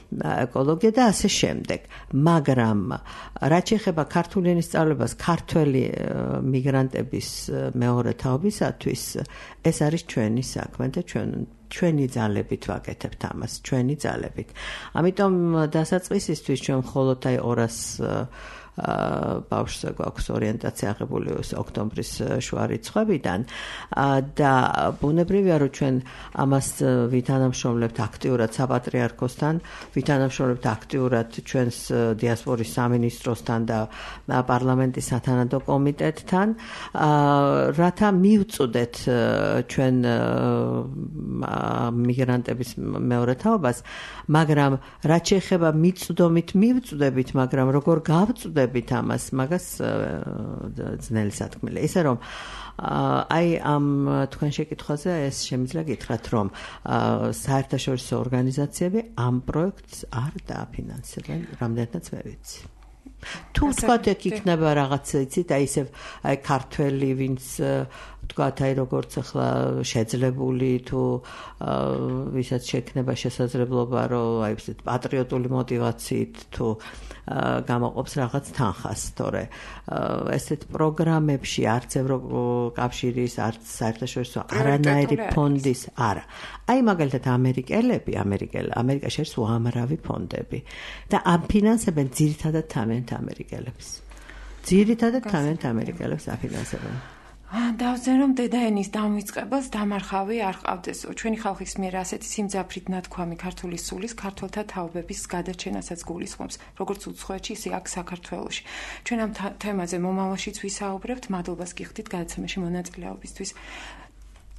ეკოლოგია და ასე შემდეგ. მაგრამ რაც შეეხება ქართული ენის სწავლებას ქართველი მიგრანტების მეორე თაობისათვის, ეს არის ჩვენი საქმე და ჩვენ ჩვენი ძალებით ვაკეთებთ ამას, ჩვენი ძალებით. ამიტომ დასაწყისისთვის ჩვენ მხოლოდ აი ორას ბავშვზე გვაქვს ორიენტაცია აღებული ოქტომბრის შუა რიცხვებიდან და ბუნებრივია რომ ჩვენ ამას ვითანამშრომლებთ აქტიურად საპატრიარქოსთან, ვითანამშრომლებთ აქტიურად ჩვენს დიასპორის სამინისტროსთან და პარლამენტის სათანადო კომიტეტთან, რათა მივწუდეთ ჩვენ მიგრანტების მეორე თაობას, მაგრამ რაც შეეხება მიწვდომით მივწუდებით, მაგრამ როგორ გავწუდებით ამას, მაგას ძნელი სათქმელია. ისე რომ აი ამ თქვენ შეკითხვაზე ეს შემიძლია გითხრათ, რომ საერთაშორისო ორგანიზაციები ამ პროექტს არ დააფინანსებენ, რამდენადაც მე ვიცი. თუ თქვათ ეგ იქნება რაღაც, იცით, აი ისევ აი ქართველი, ვინც თქვათ, აი როგორც ახლა შეძლებული თუ ვისაც შექნება შესაძლებლობა, რომ აი ესეთ პატრიოტული мотивაციით თუ გამოყოფს რაღაც თანხას, თორე ესეთ პროგრამებში არც ევროკავშირის, არც საერთაშორისო არანაირი ფონდის არა. აი მაგალითად ამერიკელები, ამერიკელ ამერიკაში არის უამრავი ფონდები და აფინანსებენ ძირითადად თავიანთ ამერიკელებს. ძირითადად თავიანთ ამერიკელებს აფინანსებენ. დავზენ რომ დედაენის დამოიწყებელს დამარხავი არ ყავდეს. ჩვენი ხალხის მიერ ასეთი სიმძაფრით ნათქვამი ქართული სულის ქართველთა თაობების გადაჩენასაც გულისხმობს, როგორც უცხოეთში, ისე აქ საქართველოში. ჩვენ ამ თემაზე მომავალშიც ვისაუბრებთ. მადლობას გიხდით გადაცემაში მონაწილეობისთვის.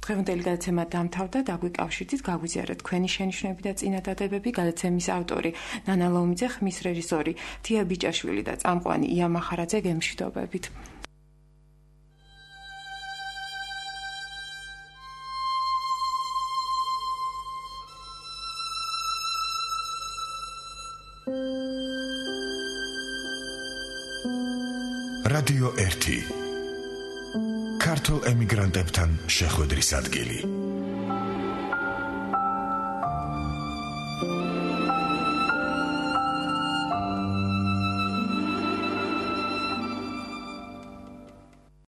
დღევანდელი გადაცემა დამთავრდა, დაგვიკავშირდით, გაგვიზიარეთ თქვენი შენიშვნები და წინადადებები. გადაცემის ავტორი ნანა ლომიძე, ხმის რეჟისორი თია ბიჭაშვილი და წამყვანი ია მახარაძე. გემშვიდობებით. რადიო ერთი ქართულ ემიგრანტებთან შეხვედრის ადგილი.